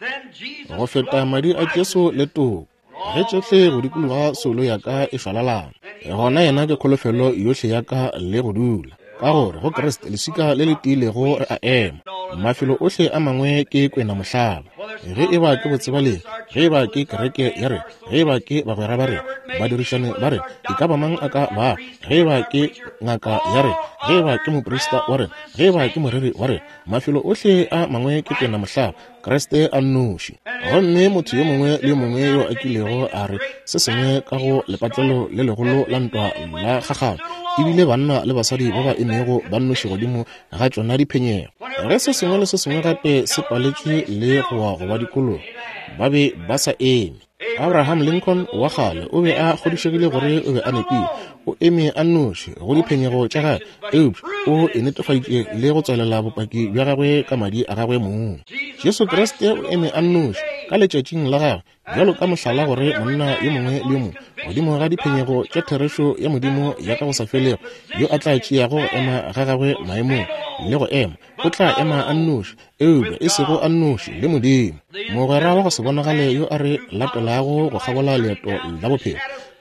go feta madi a Jesu le toko. Ge tšohle go dikologa soulo ya ka e šwalalana, gona yena ke kholofelo yohle ya ka le go dula. Ka gore go Kriste leswika le le tiilego re a ema, mafelo ohle a mangwe ke kwena mohlaba. Ge e ba ke botsebalegi, ge e ba ke kereke ya rena, ge e ba ke bagwera ba rena, badirišane ba rena, e ka ba mang a ka bago, ge e ba ke ngaka ya rena, ge e ba ke moprista wa rena, ge e ba ke moreri wa rena, mafelo ohle a mangwe ke kwena mohlaba, Kriste a nnoši. Gomme motho yo mongwe le yo mongwe yo a kilego a re se sengwe ka go lepatlelo le legolo la ntwa la kgakgano, e bile banna le basadi ba ba emego ba nnoši godimo ga tšona diphenyego. Ge se sengwe le se sengwe gape se paletšwe le go wa go ba dikologa, ba be ba sa eme. Abraham Lincoln wa kgale o be a kgodišegile gore o be a nepile. O eme a nnoši go diphenyego tša gagwe, eupša o e netefaditše le go tswalela bopaki bja gagwe ka madi a gagwe mong. Jesu Kriste o eme a nnoši ka letšatšing la gagwe bjalo ka mohlala gore monna yo mongwe le yo mongwe godimo ga diphenyego tša therešo ya Modimo ya ka go sa felego yo a tla tšeago go ema ga gagwe maemong le go ema o tla ema a nnoši, eupša e sego a nnoši le Modimo, mogwera wa go se bonagale yo a re latelago go kgabola leeto la bophelo.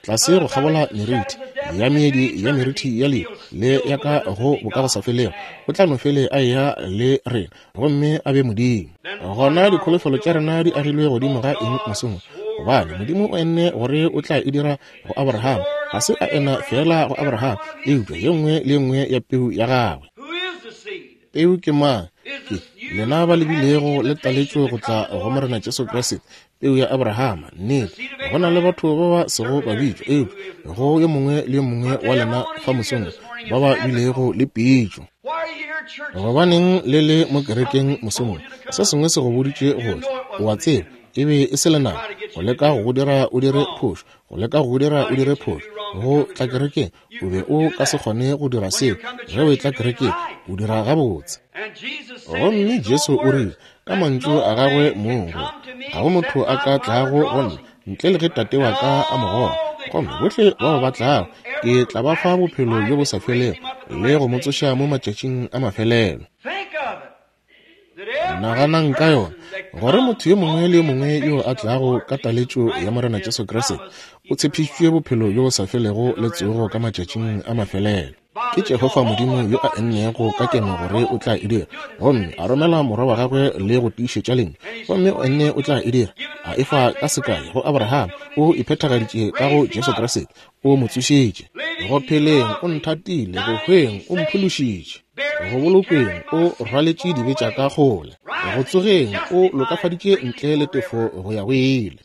Tlase go kgabola meriti ya meedi ya meriti ya lehu le ya ka go bokagosafelego, o tla no fele a eya le rena gomme a be Modimo. Gona dikholofelo tša rena di agilwe godimo ga eng mosong wo? Gobane Modimo o enne gore o tla e dira go Abraham. Ga se a ena feela go Abraham, eupša ye nngwe le ye nngwe ya peu ya gagwe. Peu ke mang? Ke lena ba le bilego le taletšo go tla go Morena Jesu Kriste, peu ya Abrahama. Nnete, go na le batho ba ba sego ba bitšwa, eupša go yo mongwe le yo mongwe wa lena fa mosong ba ba bilego le pitšo. Gobaneng le le mo kerekeng mosong wo? Se sengwe se go boditše go tla. O a tseba, e be e se lenaba go leka go go dira o dire phošo, go leka go go dira o dire phošo, go tla kerekeng. O be o ka se kgone go dira seo ge o etla kerekeng, o dira gabotse. Gomme Jesu o rile ka mantšu a gagwe mong gore ga go motho a ka tlago go nna ntle le ge Tate wa ka a mo goga, gomme bohle bao ba tlago ke tla ba fa bophelo bjo bo sa felego le go mo tsoša mo matšatšing a mafelelo. Naganang ka yona, gore motho yo mongwe le yo mongwe yo a tlago ka taletšo ya Morena Jesu Kriste o tshepišitšwe bophelo bjo bo sa felego le tsogo ka matšatšing a mafelelo. Ke Jehofa Modimo yo a ennego ka keno gore o tla e dira, gomme a romela Morwa wa gagwe le go tiišetša Lentšu, gomme o enne o tla e dira, a e fa ka sekai go Abraham, o iphethagaditše ka go Jesu Kriste, o mo tsošitše. Go pheleng o nthatile, go hweng o mphološitše. Go bolokweng o rwaletše dibe tša ka kgole. Go tsogeng o lokafaditše ntle le tefo go ya go ile.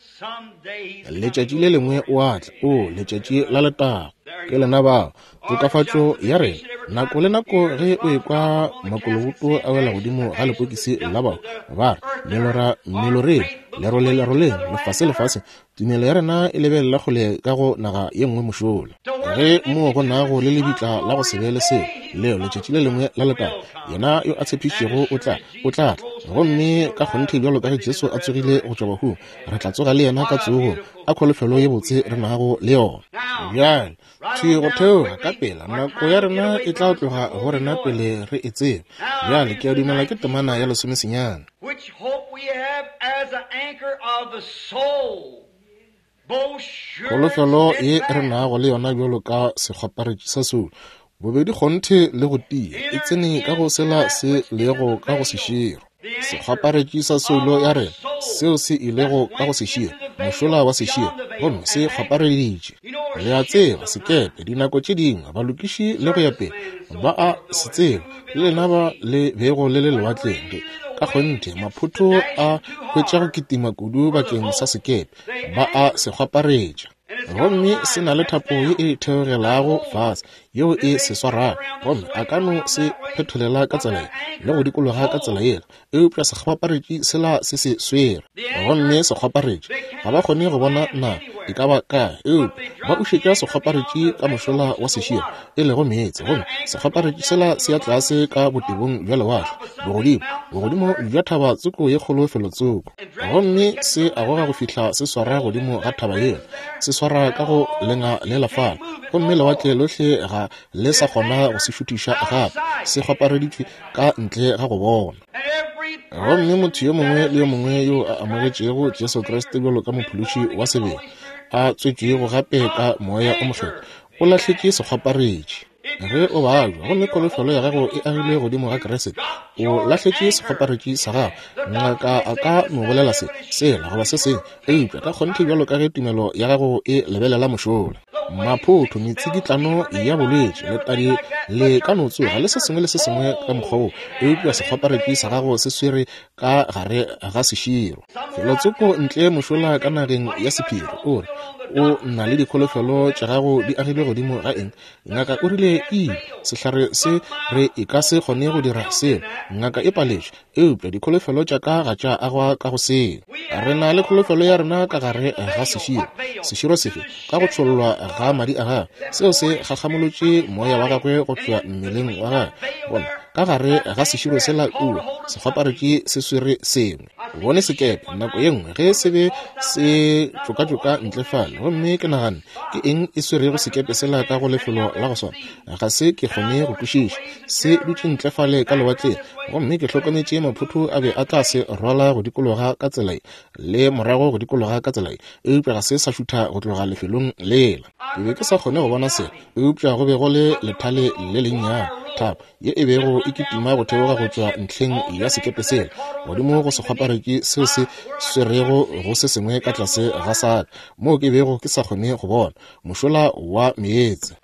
Letšatši le lengwe o a tla, o letšatši la letago. Ke lena bao, tokafatšo ya rena. Nako le nako ge o ekwa makoloboto a wela godimo ga lepokisi la bao, ba re, Melora meloreng, lerole leroleng, lefase lefaseng, Tumelo ya rena e lebelela kgole ka go naga ye nngwe mošola, ge moo go nago le lebitla la go se be le selo, leo letšatši le lengwe la letago, yena yo a tshepišitšego o tla, o tla tla. Gomme ka kgonthe bjalo ka ge Jesu a tsogile go tšwa bahung, re tla tsoga le yena ka tsogong. A kholofelo ye botse re nago le yona! Bjale, thwi go theoga ka pela, nako ya rena e tla tloga go rena pele re e tseba. Bjale, ke a dumela ke temana ya lesomesenyane. Which hope we have as an anchor of the soul, both sure and Kholofelo ye re steadfast. nago le yona bjalo ka sekgwaparetši sa soulo, bobedi kgonthe le go tia, e Enter tsene ka go into sela that se which is lego the ka go veil, seširo. the anchor Sekgwaparetši sa of soulo ya our rena, soul seo se ilego that ka go went seširo, into the mošola veil, wa seširo, beyond the veil, gomme se and anchored. kgwapareditše. You know where Le a ships tseba, sometimes, sekepe, dinako tše dingwe, balokiši le go ya pele, servicemen and so ba a forth know se it, tseba, who've le been on lena the ba sea. le bego le le When lewatleng. Ge, really the ka waves kgonthe, gets to maphoto a dashing too hwetša go hard kitima kudu for the bakeng sa boat, sekepe, they ba a anchor. se kgwaparetša. And it's got a Gomme se line na le that's thapo ye down e that theogelago holds fase, it. yeo And e it may se flip swarago, around this gomme way a and ka no around se that way, phetholela ka but tsela that ye le go anchor dikologa ka tsela holds. yela, eupša sekgwaparetši sela se se swere. The Gomme anchor, sekgwaparetši, they ga ba cannot kgone see go bona land na e anywhere, ka ba kae, but eupša they ba drop the ušetša anchor beyond sekgwaparetši the ka veil, mošola which wa is the seširo, water. e lego meetse, And gomme that anchor goes sekgwaparetši down sela to se the ya bottom of tlase the ka sea, botebong bja lewatle, top of some big bogodimo, mountain bogodimo somewhere, bja thaba tsoko ye kgolo felotsoko. and drags till it Gomme catches se on a that goga go mountain, fihla se swara holds godimo into ga that thaba yela, crevice there, se swara and ka go all lenga you lela can't fale, move it gomme no lewatle more. lohle ga le sa It's kgona go anchored se šuthiša out of gape, sight. se kgwapareditšwe ka ntle ga go bona. And every Gomme motho yo person that mongwe has le yo mongwe received yo a Jesus Christ as amogetšego personal Jesu Kriste Savior, bjalo ka been Mophološi born wa again of the sebele, Holy Spirit, a tswetšwego you gape ka are Moya o Mokgethwa, anchored. o lahletše sekgwaparetši. If Ge you're o sick babja and gomme your kholofelo hope's ya gago built e on agilwe Christ, godimo ga you've Kriste, got o your lahletše anchor. sekgwaparetši sa gago. The doctor Ngaka may a say ka this, no that, bolela and se, the other, but it's sela goba surely se sengwe, your faith eupša ka looks kgonthe higher. bjalo ka ge tumelo ya gago e lebelela mošola. The waves Maphotho, expel metsikitlano fever may ya rise bolwetši, and everything letadi like that, le but ka your no tsoga le se anchor sengwe le se sengwe ka mokgwa woo, holds eupša within sekgwaparetši sa veil. gago se swere ka gare ga seširo. Somewhere out Felotsoko yonder in ntle the sea mošola may ka say, nageng What do ya you got your sephiri, hopes o re, built on? The O doctor na le said it's dikholofelo gone, tša medicine gago di says agilwe this, godimo this, ga this. eng? The Ngaka o rile, surgery has E, failed. sehlare se But my re e ka se hopes is kgone go not dira built in selo. that. Ngaka e paletšwe, eupša dikholofelo tša ka ga tša agwa ka go seo. We Re have na le our kholofelo ya hope rena ka which is gare the ga veil. seširo. What veil? Seširo Through sefe? the Ka go shedding of tšhollwa his ga blood madi a gagwe. that Seo se poured his spirit from gakgamolotše his moya wa body. gagwe go And tšwa in mmeleng between wa that gagwe. veil Bona, there, Ka gare ga seširo sela kua, sekgwaparetši se swere sengwe. Bone sekepe nako ye nngwe ge se be se tšokatšoka ntle fale, gomme ke naganne, Ke eng e swerego sekepe sela ka go lefelo la go swana? Ga se ke kgone go kwešiša. Se dutše ntle fale ka lewatleng, gomme ke hlokometše maphotho a be a tla se rwala go dikologa ka tsela ye le morago go dikologa ka tsela ye, eupša ga se sa šutha go tloga lefelong lela. Ke be ke sa kgone go bona selo, eupša go be go le lethale le lennyane, thapo ye e bego e kitima go theoga go tšwa ntlheng ya sekepe sela godimo go sekgwaparetši seo se swerego go se sengwe ka tlase ga saka, moo ke bego ke sa kgone go bona mošola wa meetse.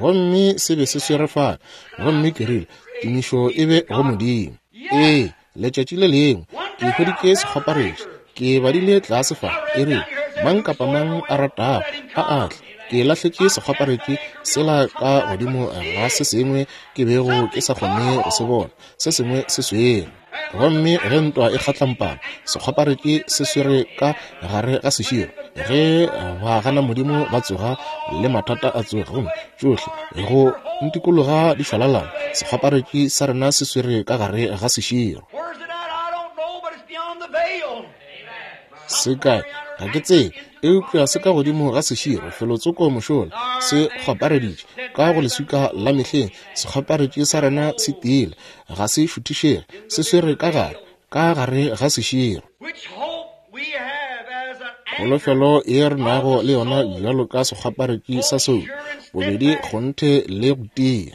Gomme se be se swere fale, gomme ke rile, Tumišo e be go Modimo. Ee, Letšatši le lengwe ke hweditše sekgwaparetši. Ke badile tlase fa, e re, Mang kapa mang a ratago, a a tle. Ke lahletše sekgwaparetši sela ka godimo ga se sengwe ke bego ke sa kgone go se bona, se sengwe se swere. Gomme ge ntwa e kgatlampana, sekgwaparetši se swere ka gare ga seširo. Ge ba gana Modimo ba tsoga le mathata a tsoga, gomme tšohle go ntikologa di šwalalana, sekgwaparetši sa rena se swere ka gare ga seširo. Se kae? Ga ke tsebe, eupša se ka godimo ga seširo, felotsoko mošola, se kgwapareditše ka go leswika la mehleng. Sekgwaparetši sa rena se tiile, ga se šuthišege, se swere ka gare, ka gare ga seširo. Kholofelo ye re nago le yona bjalo ka sekgwaparetši sa soulo, bobedi kgonthe le go tia.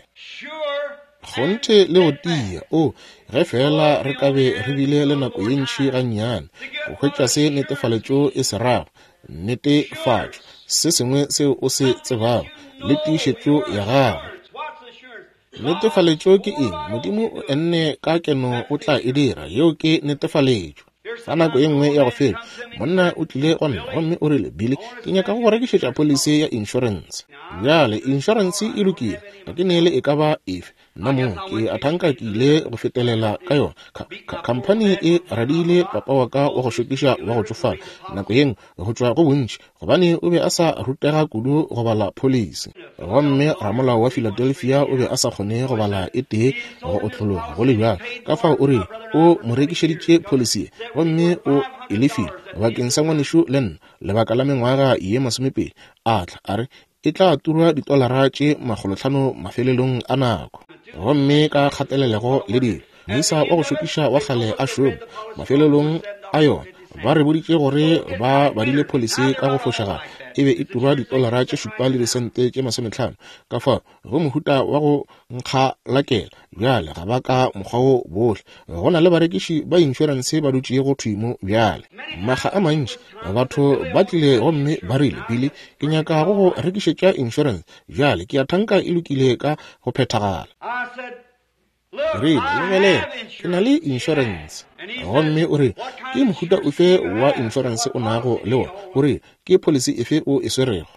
Kgonthe le go tia, o, ge feela re ka be re bile le nako ye ntši gannyane go hwetša se netefaletšo e se rago, netefatšo, se sengwe seo o se tsebago, le tiišetšo ya gago. Netefaletšo ke eng? Modimo o enne ka keno o tla e dira. Yeo ke netefaletšo. Fa nako ye nngwe ya go feta, monna o tlile go nna gomme o rile, Billy, ke nyaka go go rekišetša polisi ya inšorense. Bjale, inšorense e lokile, ga ke neele e ka ba efe. Nna mong, ke a thanka ke ile go fetelela ka yona. Khamphani e radiile papa wa ka wa go šokiša wa go tšofala nako ye nngwe go tšwa go bontši gobane o be a sa rutega kudu go bala pholisi. Gomme ramolao wa Philadelphia o be a sa kgone go bala e tee go otlologa go le bjalo. Ka fao o rile o mo rekišeditše pholisi ye, gomme o e lefile bakeng sa ngwanešu le nna lebaka la mengwaga ye masomepedi. A tla a re e tla turwa ditolara tše makgolotlhano mafelelong a nako. Gomme ka kgatelelego le dilo, moisa wa go šokiša wa kgale a šoma mafelelong a yona. Ba re boditše gore ba badile pholisi ka go fošagala, e be e turwa ditolara tše šupa le disente tše masometlhano. Ka fao go mohuta wa go nkgalakela bjale, ga ba ka mokgwa wo bohle. Go na le barekiši ba inšorense ba dutšego thwi mo bjale. Makga a mantši batho ba tlile gomme ba rile, Billy, ke nyaka go go rekišetša inšorense. Bjale, ke a thanka e lokile ka go phethagala. Ke rile, Lebelela, ke na le inšorense. Gomme o rile, Ke mohuta ofe wa inšorense o nago le wona? O rile, Ke pholisi efe o e swerego?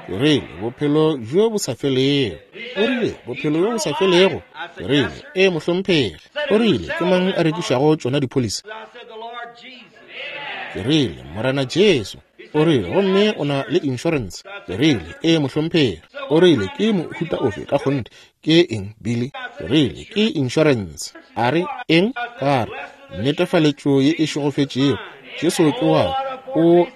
Ke rile, Bophelo bjo bo sa felego. O rile, Bophelo bjo bo sa felego? Ke rile, Ee, mohlomphegi. O rile, Ke mang a rekišago tšona dipholisi? Ke rile, Morena Jesu. O rile, Gomme o na le inšorense? Ke rile, Ee, mohlomphegi. O rile, Ke mohuta ofe ka kgonthe? Ke eng, Billy? Ke rile, Ke inšorense. A re, Eng? Ka re, Netefaletšo ye e šegofetšego. Jesu ke wa ka. O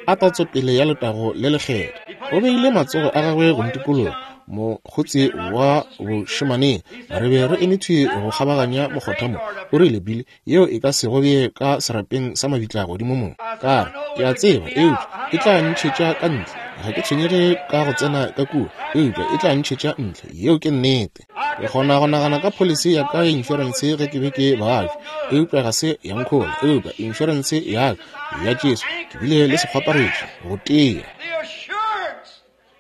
a tatsopele ya letago le lekgethwa. O beile matsogo a gagwe go ntikologa, mokgotsi wa bošemaneng. Re be re eme thwi go kgabaganya mokgotha mo. O rile, Billy, yeo e ka se go bee ka serapeng sa mabitla godimo mo. Ka re, Ke a tseba, eupša e tla ntšhetša ka ntle. Ga ke tshwenyege ka go tsena ka kua, eupša e tla ntšhetša ntle. Yeo ke nnete. Ke kgona go nagana ka pholisi ya ka ya inšorense ge ke be ke babja, eupša ga se ya nkhola. Eupša inšorense ya ka ya Jesu, ke bile le sekgwaparetši go tia.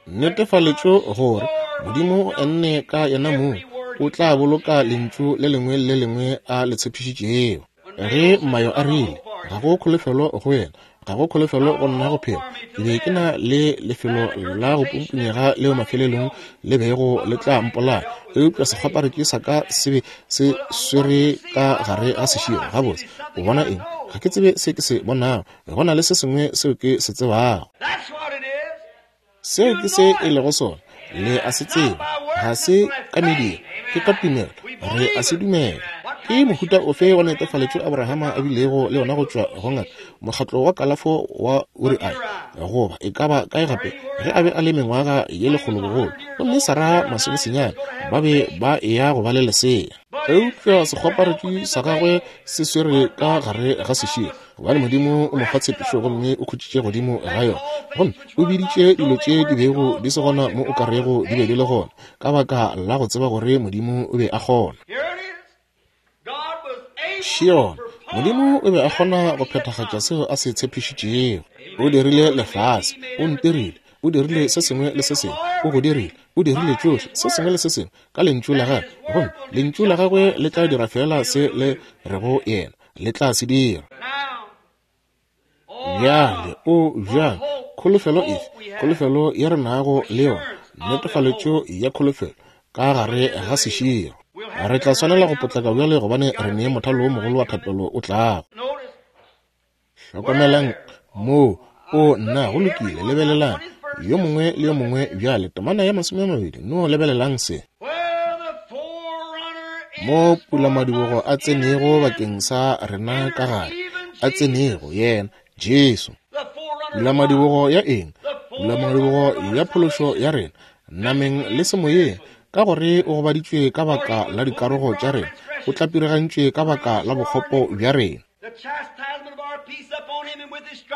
Netefaletšo gore Modimo o enne ka yena mong o tla boloka lentšu le lengwe le le lengwe a le tshepišitšego. Ge Mayo a rile, Ga go kholofelo go wena, ga go kholofelo go nna go phela, ke be ke na le lefelo la go pumpunyega leo mafelelong le bego le tla mpolaya, eupša sekgwaparetši sa ka se be se swere ka gare ga seširo. Gabotse, o bona eng? Ga ke tsebe se ke se bonago. Go na le se sengwe seo ke se tsebago. Seo ke se e lego sona. Le a se tseba. Ga se ka mediro, ke ka tumelo. Re a se dumela. Ke mohuta ofe wa netefaletšo Abrahama a bilego le yona go tšwa go ngaka, mokgatlo wa kalafo wa Uriai, goba e ka ba kae gape, ge a be a le mengwaga ye lekgolo bogolo, gomme Sarah masomesenyane, ba be ba eya go ba le lesea. Eupša sekgwaparetši sa gagwe se swere ka gare ga seširo, gobane Modimo o mo fa tshepišo gomme o khutšitše godimo ga yona, gomme o biditše dilo tše di bego di se gona mo o ka rego di be di le gona, ka baka la go tseba gore Modimo o be a kgona. Šiona, Modimo o be a kgona go phethagatša seo a se tshepišitšego. O dirile lefase, o ntirile, o dirile se sengwe le se sengwe, o go dirile, o dirile tšohle, se sengwe le se sengwe ka Lentšu la Gagwe, gomme Lentšu la Gagwe le tla dira feela se le rego Yena le tla se dira. Bjale, o bjang, kholofelo efe, kholofelo ye re nago le yona, netefaletšo ya kholofelo ka gare ga seširo. Re tla swanela go potlaka bjale gobane re ne mothalo wo mogolo wa thapelo o tlago. Hlokomelang moo, o nna, go lokile, lebelelang, yo mongwe le yo mongwe bjale, temana ya 20, no lebelelang se. Mo pulamadibogo a tsenego bakeng sa rena ka gare, a tsenego yena, Jesu. Pulamadibogo ya eng? Pulamadibogo ya phološo ya rena, nameng le semoyeng, ka gore o gobaditšwe ka baka la dikarogo tša rena, o tlapirigantšwe ka baka la bokgopo bja rena.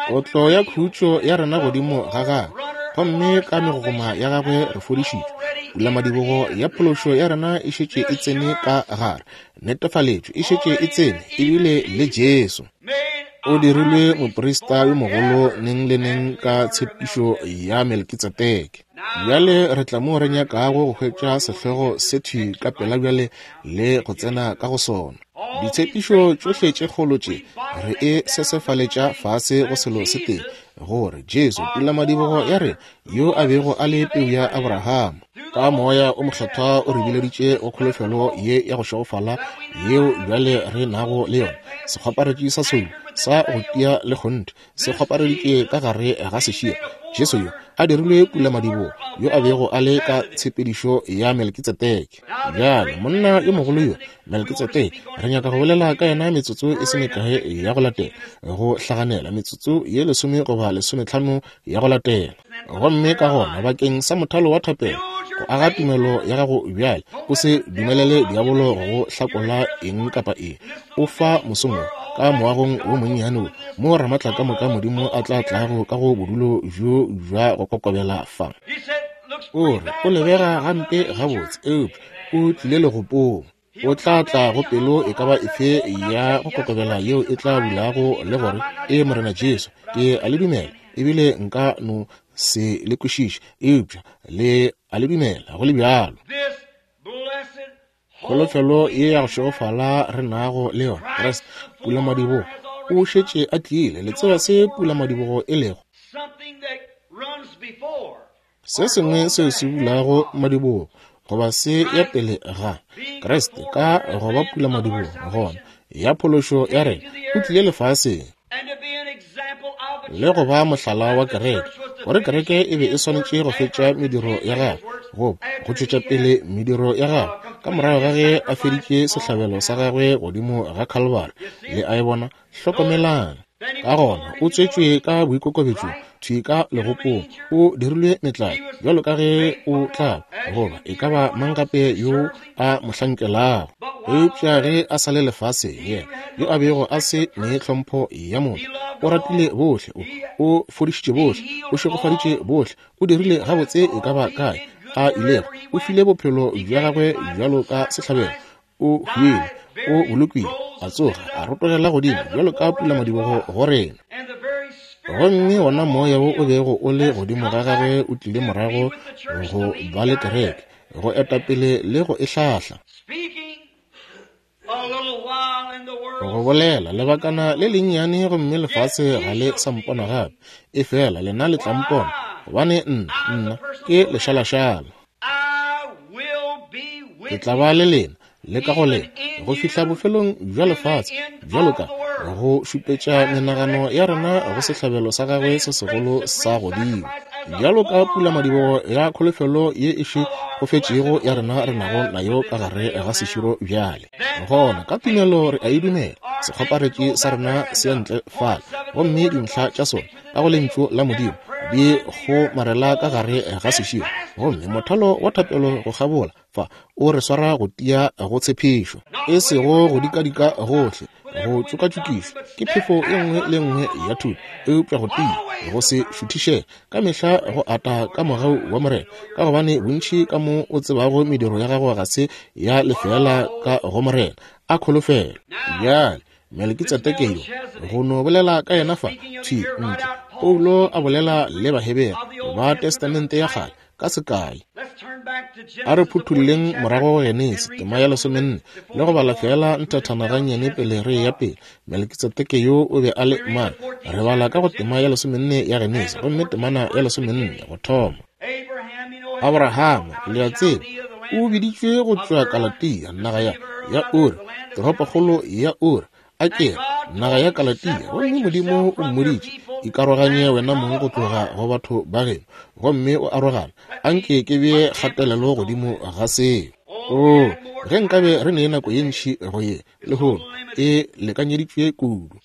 Kotlo ya khutšo ya rena godimo ga gagwe, gomme ka megogoma ya gagwe re fodišitšwe. Pulamadibogo ya phološo ya rena e šetše e tsene ka gare, netefaletšo e šetše e tsene, ebile le Jesu o dirilwe moprista yo mogolo neng le neng ka tshepišo ya Melkitsedeke. Bjale re tla moo re nyakago go hwetša sehlogo se thwi ka pela bjale le go tsena ka go sona. Ditshepišo tšohle tše kgolo tše re e sesefaletša fase go selo se tee, gore Jesu, pulamadibogo ya rena, yo a bego a le peu ya Abrahama, ka Moya o Mokgethwa o re bileditše go kholofelo ye ya go šegofala yeo bjale re nago le yona, sekgwaparetši sa soulo sa go tia le kgonthe se kgwapareditše ka gare ga seširo. Jesu yo a dirilwe pulamadibogo, yo a bego a le ka tshepedišo ya Melkitsedeke. Bjale, monna yo mogolo yo, Melkitsedeke, re nyaka go bolela ka yena metsotso e se mekae ya go latela, go hlaganela metsotso ye 10 goba 15 ya go latela. Gomme ka gona, bakeng sa mothalo wa thapelo, go aga tumelo ya gago bjale, o se dumelele diabolo go go hlakola eng kapa eng. O fa mosong wo, ka moagong wo monnyane wo, mo Ramatlakamoka Modimo a tla tlago ka go bodulo bjo bja go kokobela fa. O re, O lebega gampe gabotse, eupša o tlile legopong. O tla tla go pelo e ka ba efe ya go kokobela yeo e tla bulago le gore, Ee, Morena Jesu, ke a le dumela, ebile nka no se le kwešiše, eupša le a le dumela go le bjalo. Kholofelo ye ya go šegofala re nago le yona, Kriste, pulamadibogo, o šetše a tlile. Le tseba se pulamadibogo e lego? Se sengwe seo se bulago madibogo goba se ya pele ga Kriste ka go ba pulamadibogo gona ya phološo ya rena, o tlile lefaseng le go ba mohlala wa kereke, gore kereke e be e swanetše go fetša mediro ya gagwe goba go tšwetša pele mediro ya gagwe ka morago ga ge a feditše sehlabelo sa gagwe godimo ga Kalvari. Le a e bona? Hlokomelang. Ka gona o tswetšwe ka boikokobetšo, thwi ka legopong, o dirilwe metlae, bjalo ka ge o tla goba e ka ba mang gape yo a mo hlankelago. Eupša ge a sa le lefaseng, yena yo a bego a se ne tlhompho ya motho, o ratile bohle, o, o fodišitše bohle, o šegofaditše bohle, o dirile gabotse e ka ba kae a ilego, o file bophelo bja gagwe bjalo ka sehlabelo, o hwile, o bolokile, a tsoga, a rotogela godimo bjalo ka pulamadibogo go rena. Gomme wona moya wo o bego o le godimo ga gagwe o tlile morago go ba le kereke, go eta pele le go e hlahla. Go bolela lebakana le lennyane gomme lefase ga le sa mpona gape, efela lena le tla mpona, gobane nna, nna ke lešalašala. Ke tla ba le lena le ka go lena go fihla bofelong bja lefase, bjalo ka go šupetša menagano ya rena go sehlabelo sa gagwe se segolo sa godimo. Bjalo ka pulamadibogo ya kholofelo ye e šegofetšego ya rena re nago nayo ka gare ga seširo bjale. Gona ka tumelo re a e dumela, sekgoparetši sa rena se ntle fale, gomme dintlha tša sona ka go Lentšu la Modimo di kgomarela ka gare ga seširo, gomme mothalo wa thapelo go kgabola fa o re swara go tia go tshepišo, e sego go dikadika gohle, go tšokatšokišwa ke phefo e nngwe le nngwe ya thuto, eupša go tia, go se šuthišege, ka mehla go ata ka mogau wa Morena, ka gobane bontši ka mo o tsebago mediro ya gago ga se ya lefeela ka go Morena. A kholofelo! Bjale, Melekitsedeke yo, go no bolela ka yena fa, thwi ntle, Paulo a bolela le Bahebere ba Testamente ya Kgale, ka sekai. A re phuthulleng morago go Genesi, tema ya 14, le go bala feela nthathana gannyane pele re ya pele. Melekitsedeke yo o be a le mang? Re bala ka go tema ya 14 ya Genesi, gomme temana ya 14 go thoma. Abrahama, le a tseba, o biditšwe go tšwa Kalatia, naga ya, ya Uri, toropokgolo ya Uri, a ke re, naga ya Kalatia, gomme Modimo o mmoditše, Ikaroganye wena mong go tloga go batho ba geno, gomme o arogane. A nke ke bee kgatelelo godimo ga seo. Oo, ge nkabe re ne nako ye ntši go ye, lehono, e lekanyeditšwe kudu.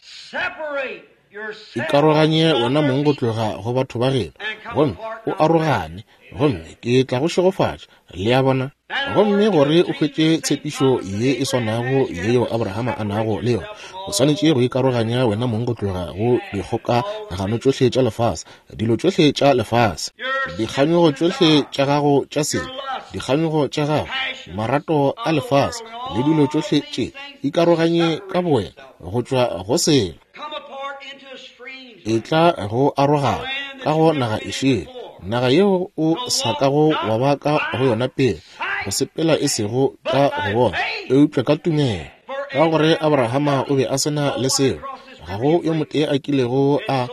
Ikaroganye wena mong go tloga go batho ba geno, gomme o arogane, gomme ke tla go šegofatša. Le a bona? Gomme gore o hwetše tshepišo ye e swanago yeo Abrahama a nago le yona, o swanetše go ikaroganya wena mong go tloga go dikgokagano tšohle tša lefase, dilo tšohle tša lefase, dikganyogo tšohle tša gago tša sebe, dikganyogo tša gago, marato a lefase, le dilo tšohle tše. Ikaroganye ka bowena go tšwa go selo. Etla go arogana ka go naga e šele, naga yeo o sa kago wa ba ka go yona pele, go sepela e sego ka go bona, eupša ka tumelo. Ka gore Abrahama o be a se na le selo, ga go yo motee a kilego a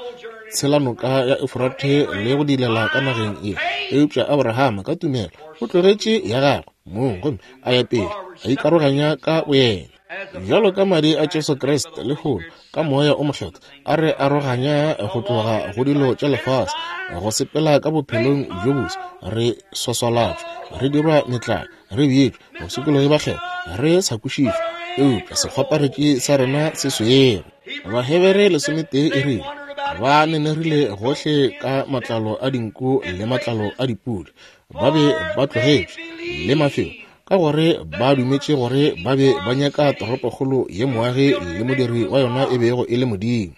tshela noka ya Eufrate le go dilela ka nageng ye, eupša Abrahama ka tumelo o tlogetše ya gagwe mong gomme a ya pele, a ikaroganya ka boyena. Bjalo ka madi a Jesu Kriste lehono, ka Moya o Mokgethwa, a re aroganya go tloga go dilo tša lefase, go sepela ka bophelong bjo boswa, re swaswalatšwa, re dirwa metlae, re bjetšwe, basokologi ba kgethwa, re sa kwešišwe, eupša sekgwaparetši sa rena se swere. Bahebere 11 e rile, Ba nenerile gohle ka matlalo a dinku le matlalo a dipudi, ba be ba tlogetšwe le mafelo, ka gore ba dumetše gore ba be ba nyaka toropokgolo ye moagi le modiri wa yona e bego e le Modimo.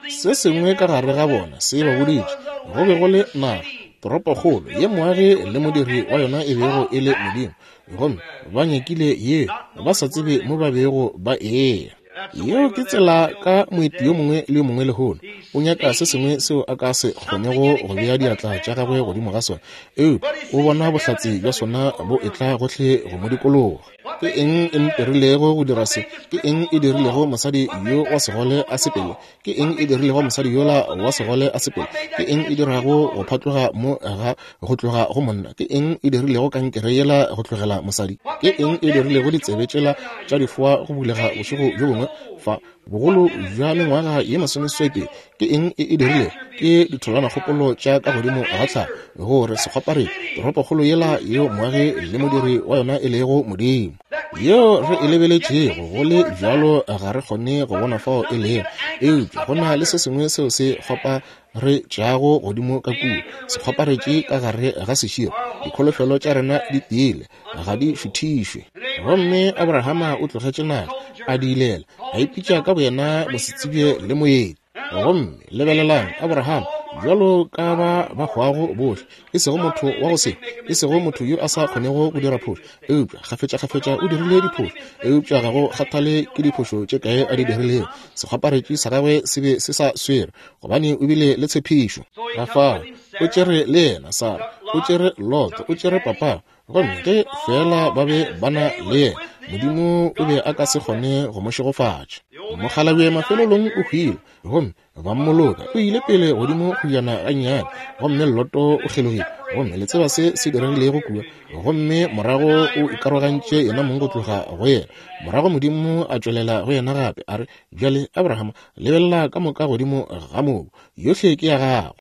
Se sengwe ka gare ga bona se ba boditše go be go le naga, toropokgolo ye moagi le modiri wa yona e bego e le Modimo, gomme ba nyakile ye ba sa tsebe mo ba bego ba eya. Yeo ke tsela ka moeti yo mongwe le yo mongwe lehono. O nyaka se sengwe seo a ka se kgonego go bea diatla tša gagwe godimo ga sona, eupša o bona bohlatse bja sona bo etla gohle go mo dikologa. Ke eng e ntirilego go dira se? Ke eng e dirilego mosadi yo wa segole a sepele? Ke eng e dirilego mosadi yola wa segole a sepele? Ke eng e dirago go phatloga mo ga go tloga go monna? Ke eng e dirilego kankere yela go tlogela mosadi? Ke eng e dirilego ditsebe tšela tša difoa go bulega bošego bjo bongwe fa bogolo bja mengwaga ye masomeseswai? Ke eng e e dirilego? Ke ditholwanakgopolo tša ka godimo ga tlhago gore sekgwaparetši, toropokgolo yela yeo moagi le modiri wa yona e lego Modimo, yeo re e lebeletšego go le bjalo ga re kgone go bona fao e lego, eupša go na le se sengwe seo se kgwaparetšago godimo ka kua, se kgwaparetše ka gare ga seširo. Dikholofelo tša rena di tiile, ga di šuthišwe. Gomme Abrahama o tlogetše naga, a diilela, a ipitša ka boyena mosetsebje le moeti. Gomme lebelelang Abraham, bjalo ka ba ba hwago bohle, e sego motho wa go se, e sego motho yo a sa kgonego go dira phošo, eupša kgafetšakgafetša o dirile diphošo, eupša ga go kgathale ke diphošo tše kae a di dirilego, sekgwaparetši sa gagwe se be se sa swere, gobane o bile le tshepišo. Ka fao o tšere le yena Sara, o tšere Lot, o tšere papa, gomme ge feela ba be ba na le yena, Modimo o be a ka se kgone go mo šegofatša. Mokgalabje mafelelong o hwile, gomme ba mmoloka. O ile pele godimo kgojana gannyane, gomme Loto o kgelogile. Gomme le tseba se se diregilego kua. Gomme morago o ikarogantše yena mong go tloga go yena. Morago Modimo a tšwelela go yena gape, a re, Bjale, Abraham, lebelela ka moka godimo ga mobu. Yohle ke ya gago.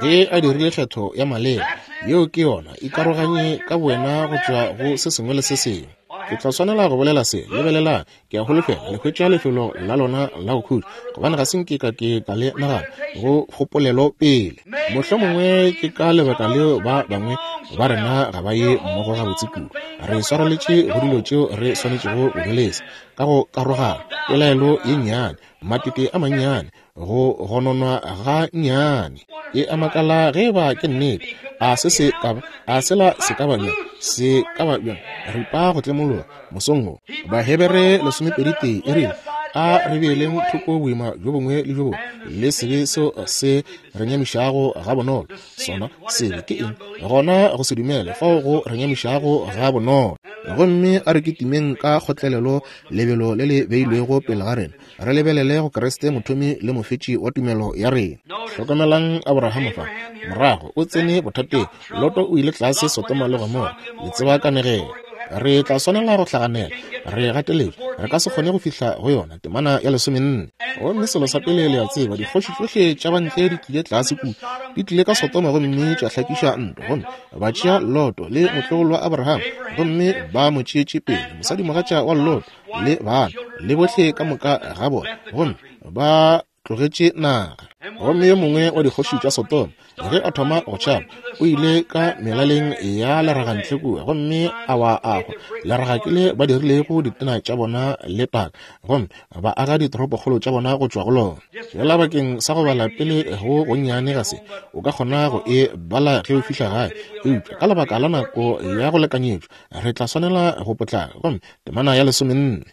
Ge a dirile kgetho ya maleba, yeo ke yona. Ikaroganye ka bowena go tšwa go se sengwe le se sengwe. Ke tla swanela go bolela se. Lebelelang. Ke a holofela le hwetša lefelo la lona la go khutša, gobane ga se nke ka ke ka le nagana go kgopolelo pele. Mohlomongwe ke ka lebaka leo ba bangwe ba rena ga ba ye mmogo gabotse kudu. Re swareletše go dilo tšeo re swanetšego go di lesa, ka go karogana, pelaelo ye nnyane, matete a mannyane, go gononwa ga nnyane. E a makala ge eba ke nnete. A se se ka ba, a sela se ka ba bjang, se ka ba bjang, ripa go tlemologa mosong wo. Bahebere 12 e rile, A re beeleng thoko boima bjo bongwe le bjo bongwe le sebe seo se re nyamišago gabonolo. Sona sebe ke eng? Gona go se dumele fao go re nyamišago gabonolo. Gomme a re kitimeng ka kgotlelelo lebelo le le beilwego pele ga rena, re lebelele go Kriste mothomi le mofetši wa tumelo ya rena. Hlokomelang Abrahama fa, morago o tsene bothateng. Loto o ile tlase Sodoma le Gomora. Le tseba kanegelo. Re tla swanela go hlaganela, re gateletšwe, re ka se kgone go fihla go yona, temana ya 14. Gomme selo sa pele le a tseba, dikgoši tšohle tša bantle di tlile tlase kua, di tlile ka Sodoma gomme tša hlakiša ntwa, gomme ba tšea Loto le motlogolo wa Abraham, gomme ba mo tšeetše pele, mosadimogatša wa Loto, le bana le bohle ka moka ga bona, gomme ba tlogetše naga. Gomme yo mongwe wa dikgoši tša Sodoma, ge a thoma go tšhaba, o ile ka melaleng ya leraga ntle kua, gomme a wa a hwa. Leraga ke le ba dirilego ditena tša bona le taka, gomme ba aga ditoropokgolo tša bona go tšwa go lona. Fela bakeng sa go bala pele go gonnyane ga se o ka kgona go e bala ge o fihla gae, eupša ka lebaka la nako ya go lekanyetšwa re tla swanela go potlaka. Gomme temana ya 14.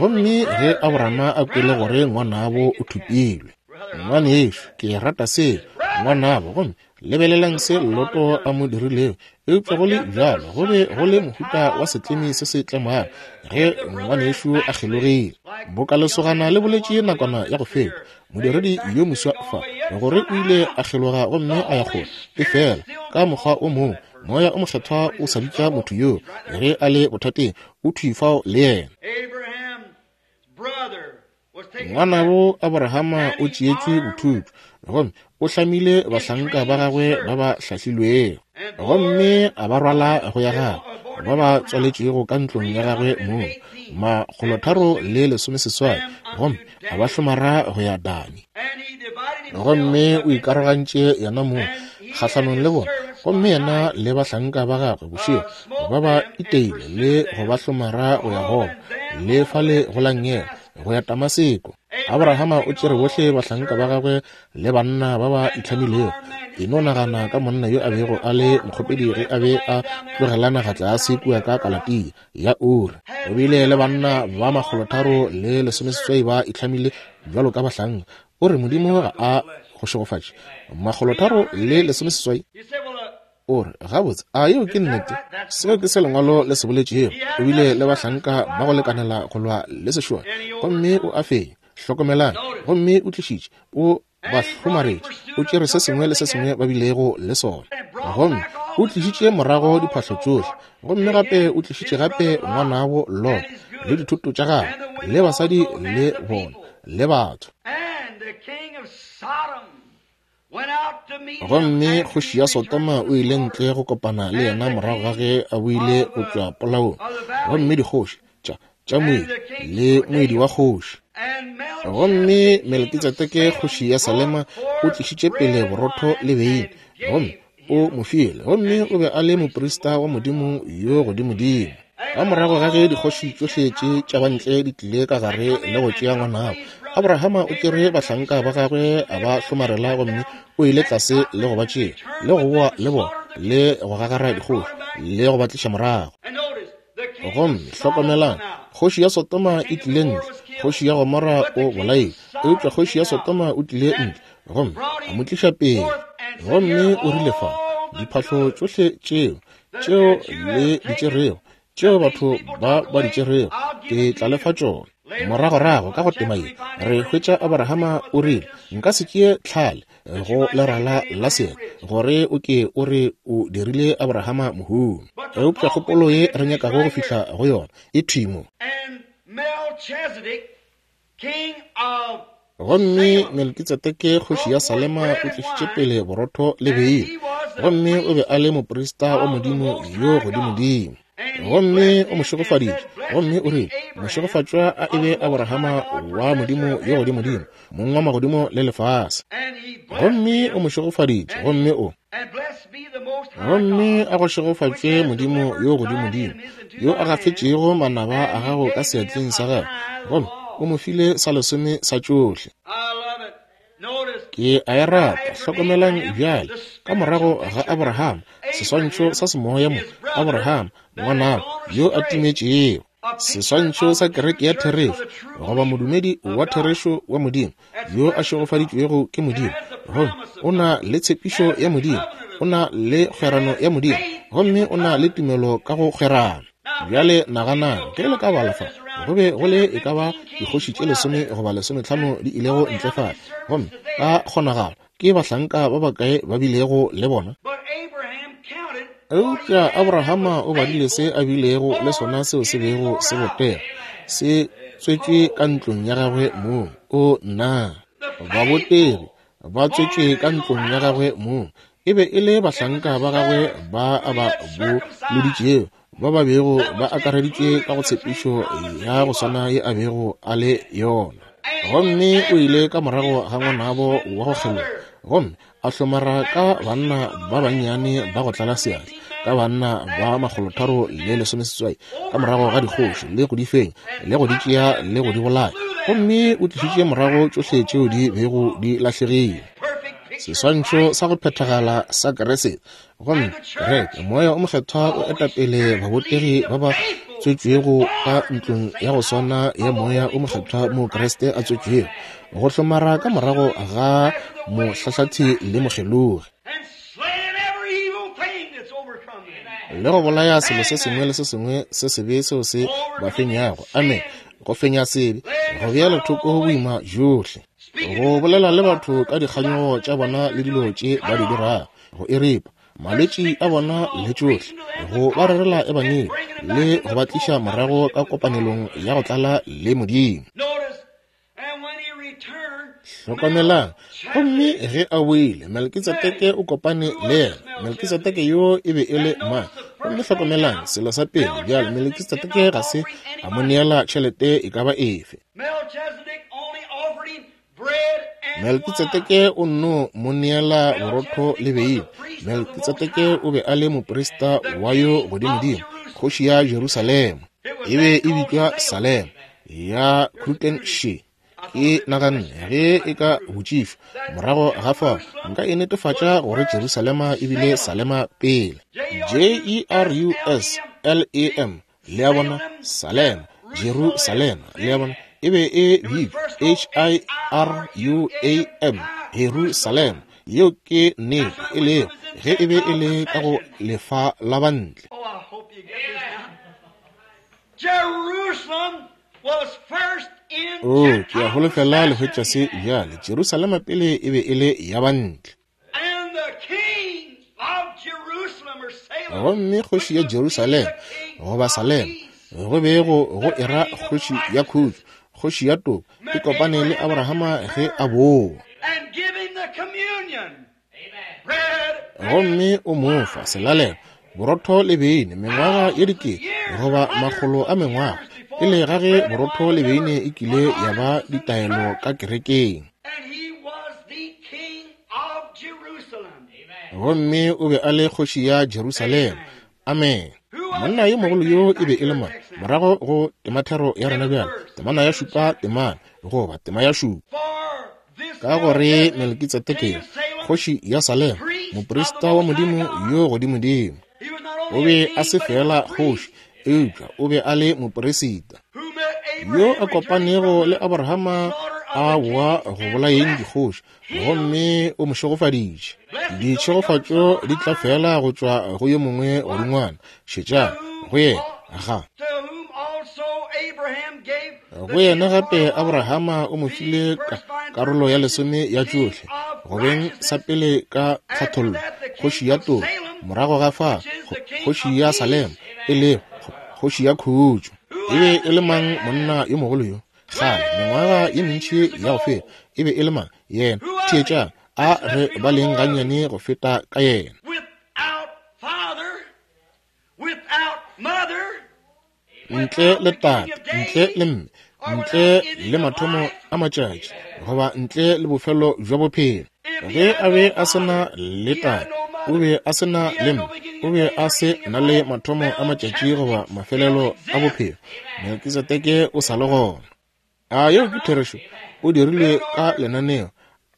Gomme ge Abrahama a kwele gore ngwanabo o thopilwe, ngwanešo, ke rata se, ngwanabo, gomme lebelelang se Loto a mo dirilego. Eupša go le bjalo go be go le mohuta wa setlemi se se tlemago ge ngwanešo a kgelogile. Boka lesogana le boletše nakwana ya go feta, modiredi yo moswa fa, gore o ile a kgeloga gomme a ya kgole. Efela ka mokgwa o mongwe Moya o Mokgethwa o sa bitša motho yoo ge a le bothateng, o thwi fao le yena. Ngwanabo Abrahama o tšeetšwe bothuthu, gomme o hlamile bahlanka ba gagwe ba ba hlahlilwego, gomme a ba rwala go ya gagwe, ba ba tswaletšwego ka ntlong ya gagwe mong, 318, gomme a ba hlomara go ya Dani. Gomme o ikarogantše yena mong kgahlanong le bona, gomme yena le bahlanka ba gagwe bošego ba ba iteile le go ba hlomara go ya Hoba le fale go la nngele go ya Damaseko. Abrahama o tšere bohle bahlanka ba gagwe le banna ba ba itlhamilego. E no nagana ka monna yo a bego a le mokgopedi ge a be a tlogela naga tlase kua ka Kalatia ya Uri. O bile le banna ba 318 ba itlhamile bjalo ka bahlanka. O re Modimo ga a go šegofatše. 318? O re, gabotse, a yeo ke nnete? Seo ke se Lengwalo le se boletšego. O bile le bahlanka ba go lekanela go lwa le sešole, gomme o a fenya. Hlokomelang, gomme o tlišitše, o ba hlomaretše, o tšere se sengwe le se sengwe ba bilego le sona, gomme o tlišitše morago diphahlo tšohle, gomme gape o tlišitše gape ngwanabo Lot le dithoto tša gagwe le basadi le bona le batho. Gomme kgoši ya Sodoma o ile ntle go kopana le yena morago ga ge a boile go tšwa polaong, gomme dikgoši tša tša moedi le moedi wa kgoši. Gomme Melekitsedeke kgoši ya Salema o tlišitše pele borotho le beine, gomme o mo file, gomme o be a le moprista wa Modimo yo godimodimo. Ka morago ga ge dikgoši tšohle tše tša bantle di tlile ka gare le go tšea ngwanabo, Abrahama o tšere bahlanka ba gagwe a ba hlomarela, gomme o ile tlase le go ba tšea le go boa le bona le go gagara dikgoši le go ba tliša morago. Gomme hlokomelang, kgoši ya Sodoma e tlile ntle, kgoši ya Gomora o bolailwe, eupša kgoši ya Sodoma o tlile ntle gomme a mo tliša pele. Gomme o rile fa, diphahlo tšohle tšeo, tšeo le di tšerego, tšeo batho ba ba di tšerego, ke tla le fa tšona. Moragorago ka go tema ye re hwetša Abrahama o rile, nka se tšee tlhale go lerala la seeta, gore o ke o re o dirile Abrahama mohumi. Eupša kgopolo ye re nyakago go fihla go yona e thwi mo. Gomme Melkitsedeke kgoši ya Salema o tlišitše pele borotho le beine, gomme o be a le moprista wa Modimo yo godimodimo. Gomme o mo šegofaditše, gomme o rile, Mošegofatšwa a e be Abrahama wa Modimo yo godimodimo, mong wa magodimo le lefase. Gomme o mo šegofaditše, gomme o gomme a go šegofatšwe Modimo yo godimodimo, yo a gafetšego manaba a gago ka seatleng sa gagwe, gomme o mo file sa lesome sa tšohle. Ke a e rata. Hlokomelang bjale, ka morago ga Abraham, seswantšho sa semoya mo, Abraham, ngwanabo, yo a timetšego, seswantšho sa kereke ya therešo, goba modumedi wa therešo wa Modimo, yo a šegofaditšwego ke Modimo, gomme o na le tshepišo ya Modimo, o na le kgwerano ya Modimo, gomme o na le tumelo ka go kgwerano. Bjale naganang, ge le ka bala fa, go be go le e ka ba dikgoši tše 10 goba 15 di ilego ntle fale, gomme ka kgonagalo ke bahlanka ba bakae ba bilego le bona? Eupša Abrahama o badile se a bilego le sona seo se bego se botega, se tswetšwe ka ntlong ya gagwe mong. O nna, babotegi ba tswetšwe ka ntlong ya gagwe mong. E be e le bahlanka ba gagwe ba a ba boloditšego, ba ba bego ba akareditšwe ka go tshepišo ya go swana ye a bego a le yona. Gomme o ile ka morago ga ngwanabo wa go kgeloga, gomme a hlomara ka banna ba bannyane ba go tlala seatla, ka banna ba 318, ka morago ga dikgoši, le go di fenya, le go di tšea, le go di bolaya. Gomme o tlišitše morago tšohle tšeo di bego di lahlegile. Seswantšho sa go phethagala sa Kriste. Gomme kereke, Moya o Mokgethwa o eta pele babotegi ba ba tswetšwego ka ntlong ya go swana ya Moya o Mokgethwa mo Kriste a tswetšwego, go hlomara ka morago ga mohlahlathi le mokgelogi, le go bolaya selo se sengwe le se sengwe se sebe seo se ba fenyago. Amen. Go fenya sebe, go beela thoko boima bjohle, go bolela le batho ka dikganyogo tša bona le dilo tše ba di dirago, go e ripa malwetši a bona le tšohle, go ba rerela ebangedi le go ba tliša morago ka kopanelong ya go tlala le Modimo. Hlokomelang, gomme ge a boile, Melkitsedeke o kopane le yena. Melkitsedeke yo e be e le mang? Gomme hlokomelang, selo sa pele bjale, Melkitsedeke ga se a mo neela tšhelete e ka ba efe. Melkitsedeke o nno mo neela borotho le beine. Melkitsedeke o be a le moprista wa yo godimodimo, kgoši ya Jerusalema. E be e bitšwa Salema ya Krutenshe. Ke naganne ge e ka botšišwa morago ga fao, nka e netefatša gore Jerusalema e bile Salema pele. J-E-R-U-S-L-E-M, le a bona, Salema, Jerusalema, le a bona, e be e bitšwa H-I-R-U-A-M, Jerusalema. Yeo ke nnete e lego ge e be e le ka go lefa la bantle. Oh, ke a holofela le hwetša se bjale. Jerusalema pele e be e le ya bantle. Gomme kgoši ya Jerusalema, goba Salema, go be go era kgoši ya khutšo, kgoši ya toka, e kopane le Abrahama ge a boa. Gomme o mo fa selalelo, borotho le beine, mengwaga ye dikete goba makgolo a mengwaga pele ga ge borotho le beine e kile ya ba ditaelo ka kerekeng. Gomme o be a le kgoši ya Jerusalema. Amen. Monna yo mogolo yo e be e le mang? Morago go temathero ya rena bjale, temana ya šupa temana, goba tema ya šupa. Ka gore Melkitsedeke, kgoši ya Salema, moprista wa Modimo yo godimodimo, o be a se fela kgoši, eupša o be a le moperisita yo a kopanego le Abrahama a boa go bolayeng dikgoši, gomme o mo šegofaditše. Ditšhegofatšo di tla fela go tšwa go yo mongwe godingwana. Šetšang go yena ga. Go yena gape Abrahama o mo file karolo ya lesome ya tšohle, go beng sa pele ka tlhathollo, kgoši ya toka, morago ga fa kgoši ya Salema, e lego kgoši ya khutšo. E be e le mang monna yo mogolo yo? Kgale, mengwaga ye mentši ya go feta, e be e le mang yena? Theetšang, a re baleng gannyane go feta ka yena. Ntle le tate, ntle le mme, ntle le mathomo a matšatši, goba ntle le bofelo bja bophelo. Ge a be a se na le tate, o be a se na le mme, o be a se na le mathomo a matšatši goba mafelelo a bophelo, Melkisedeke o sa le gona. A yeo ke therešo? O dirilwe ka lenaneo,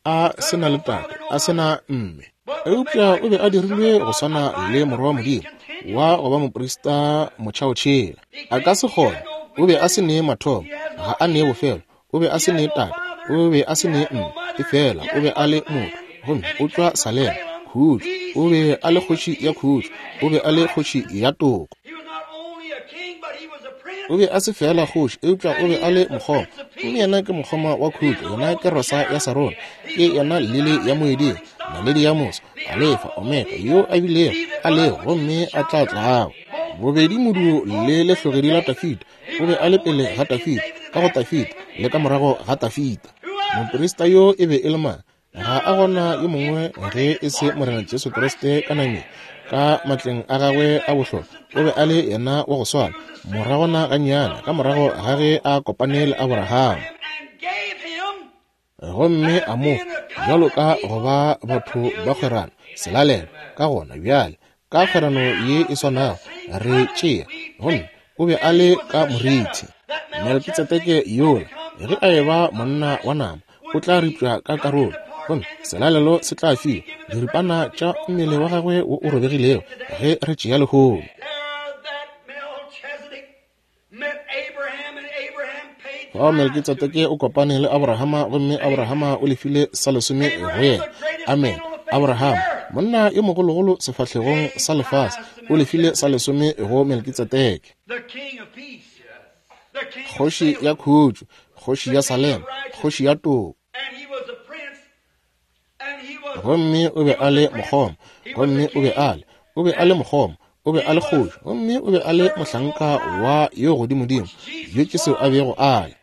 a se na le tate, a se na mme. Eupša o be a dirilwe go swana le Morwa wa Modimo, wa go ba moprista motšhaotšhela. A ka se kgone. O be a se ne mathomo, ga a ne bofelo. O be a se ne tate, o be a se ne mme, efela o be a le motho. Gomme o tšwa Salema, khutšo. O be a le kgoši ya khutšo, o be a le kgoši ya toko. O be a se feela kgoši, eupša o be a le mokgoma. Gomme yena ke mokgoma wa khutšo, yena ke rosa ya Sarona, ke yena lili ya moeding, naledi ya moso, Alefa, Omega, yo a bilego, a lego, gomme a tla tlago. Bobedi modu le lehlogedi la Tafita, o be a le pele ga Tafita, ka go Tafita, le ka morago ga Tafita. Moprista yo e be e le mang? Ga a gona yo mongwe ge e se Morena Jesu Kriste ka nameng, ka matleng a gagwe a bohlokwa. O be a le yena wa go swana moragwana gannyane ka morago ga ge a kopane le Abraham, gomme a mo fa bjalo ka go ba batho ba kgwerano selalelo. Ka gona bjale ka kgwerano ye e swanago re tšea, gomme o be a le ka morithi. Melkitsedeke yola, ge a eba monna wa nama, o tla ripša ka karolo, gomme selalelo se tla fiwa diripana tša mmele wa gagwe wo o robegilego ge re tšea lehono. Fao Melkitsedeke o kopane le Abrahama, gomme Abrahama o lefile sa lesome go yena. Amen. Abrahama, monna yo mogologolo sefahlegong sa lefase, o lefile sa lesome go Melkitsedeke. Kgoši ya khutšo, kgoši ya Salema, kgoši ya toko. Gomme o be a le mokgoma, gomme o be a le, o be a le mokgoma, o be a le kgoši, gomme o be a le mohlanka wa yo godimodimo, yo ke seo a bego a le.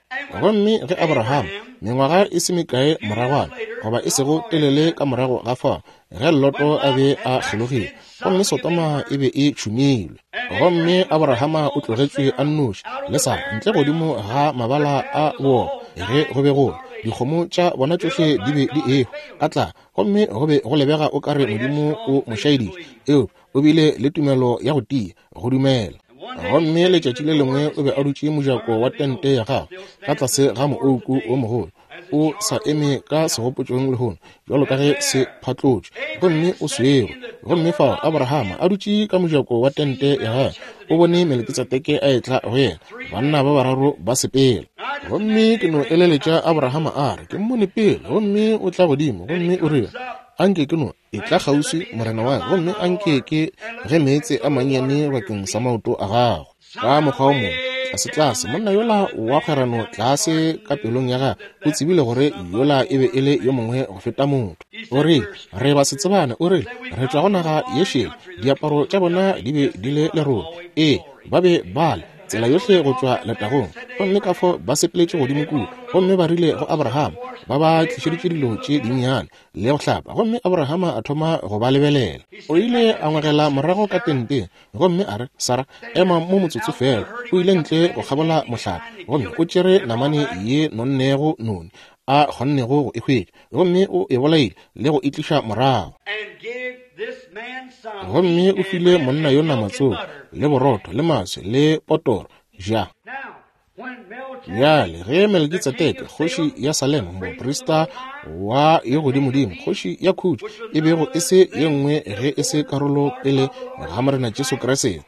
Gomme ge Abraham, mengwaga e se mekae moragwana, goba e sego telele ka morago ga fao, ge Loto a be a kgelogile, gomme Sodoma e be e tšhumilwe, gomme Abrahama o tlogetšwe a nnoši le Sara ntle godimo ga mabala a boopa, ge go be go dikgomo tša bona tšohle di be di ehwa ka tlala, gomme go be go lebega o ka re Modimo o mo šaeditše, eupša o bile le tumelo ya go tia go dumela. Gomme letšatši le lengwe o be a dutše mojako wa tente ya gagwe ka tlase ga moouku o mogolo, o sa eme ka segopotšong lehono bjalo ka ge se phatlotšwe, gomme o swerwe. Gomme fao Abrahama a dutše ka mojako wa tente ya gagwe, o bone Melekitsedeke a etla go yena, banna ba bararo ba sepela. Gomme ke no eleletša Abrahama a re, Ke mmone pele, gomme o tla godimo, gomme o rile, Anke ke no etla kgauswi, morena wa ka, gomme anke ke ge meetse a mannyane bakeng sa maoto a gago. Ka mokgwa o mongwe, tlasetlase, monna yola wa kgwerano tlase ka pelong ya gagwe o tsebile gore yola e be e le yo mongwe go feta motho. O rile, Re ba se tsebane. O rile, Re tšwa go naga ye šele. Diaparo tša bona di be di le lerole. Ee, ba be ba le tsela yohle go tšwa letagong. Gomme ka fao ba sepeletše godimo kua, gomme ba rile go Abraham, ba ba tlišeditše dilo tše dinnyane le go hlapa. Gomme Abrahama a thoma go ba lebelela. O ile a ngwegela morago ka tenteng, gomme a re, Sara, ema mo motsotso feela. O ile ntle go kgabola mohlape, gomme o tšere namane ye nonnego noni a kgonnego go e hwetša, gomme o e bolaile le go e tliša morago. Gomme o file monna yo nama tsoko, le borotho, le maswi, le potoro, ja. Bjale ge Melkitsedeke, kgoši ya Salema, moprista wa yo godimodimo, kgoši ya khutšo, e bego e se ye nngwe ge e se karolo pele ga Morena Jesu Kriste.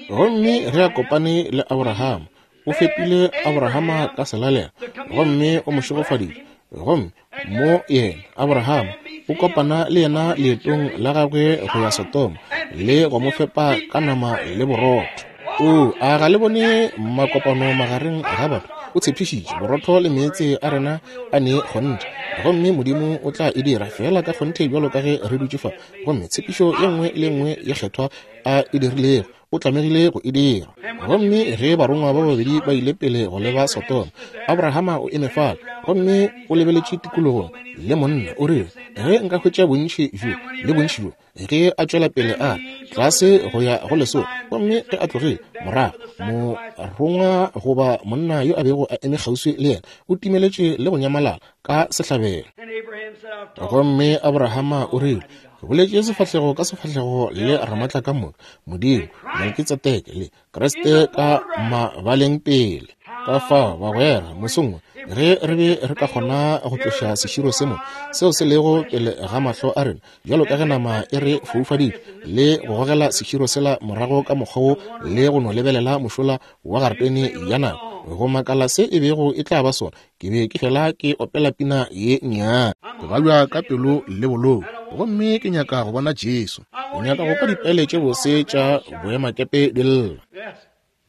Gomme ge a kopane le Abrahama, o fepile Abrahama ka selalelo, gomme o mo šegofaditše. Gomme mo yena, Abrahama, o kopana le yena leetong la gagwe go ya Sodoma, le go mo fepa ka nama le borotho. O, a ga le bone makopano magareng ga batho? O tshepišitše borotho le meetse a rena a ne kgonthe, gomme Modimo o tla e dira feela ka kgonthe bjalo ka ge re dutše fa. Gomme tshepišo ye nngwe le ye nngwe ye kgethwa a e dirilego, o tlamegile go e dira. Gomme ge barongwa ba babedi ba ile pele go leba Sodoma, Abrahama o eme fale gomme o lebeletše tikologong le monna, o rile, Ge nka hwetša bontši bjo le bontši bjo, ge a tšwela pele a re, tlase go ya go lesolo. Gomme ge a tlogile morago, morongwa goba monna yo a bego a eme kgauswi le yena o timeletše le go nyamalala ka sehlabelo. Gomme Abrahama o rile, Ke boletše sefahlego ka sefahlego le Ramatlakamoka, Modimo, Melkitsedeke le Kriste ka mabaleng pele. Ka fao, bagwera, mosong wo, ge re be re ka kgona go tloša seširo se mo seo se lego pele ga mahlo a rena, bjalo ka ge nama e re foufaditše, le go gogela seširo sela morago ka mokgwa wo le go no lebelela mošola wa garetene ya nako, go makala se e bego e tla ba sona, ke be ke fela ke opela pina ye nnyane. Ke babja ka pelo le bolou, gomme ke nyaka go bona Jesu. Ke nyaka go kwa dipele tše bose tša boemakepe di lla.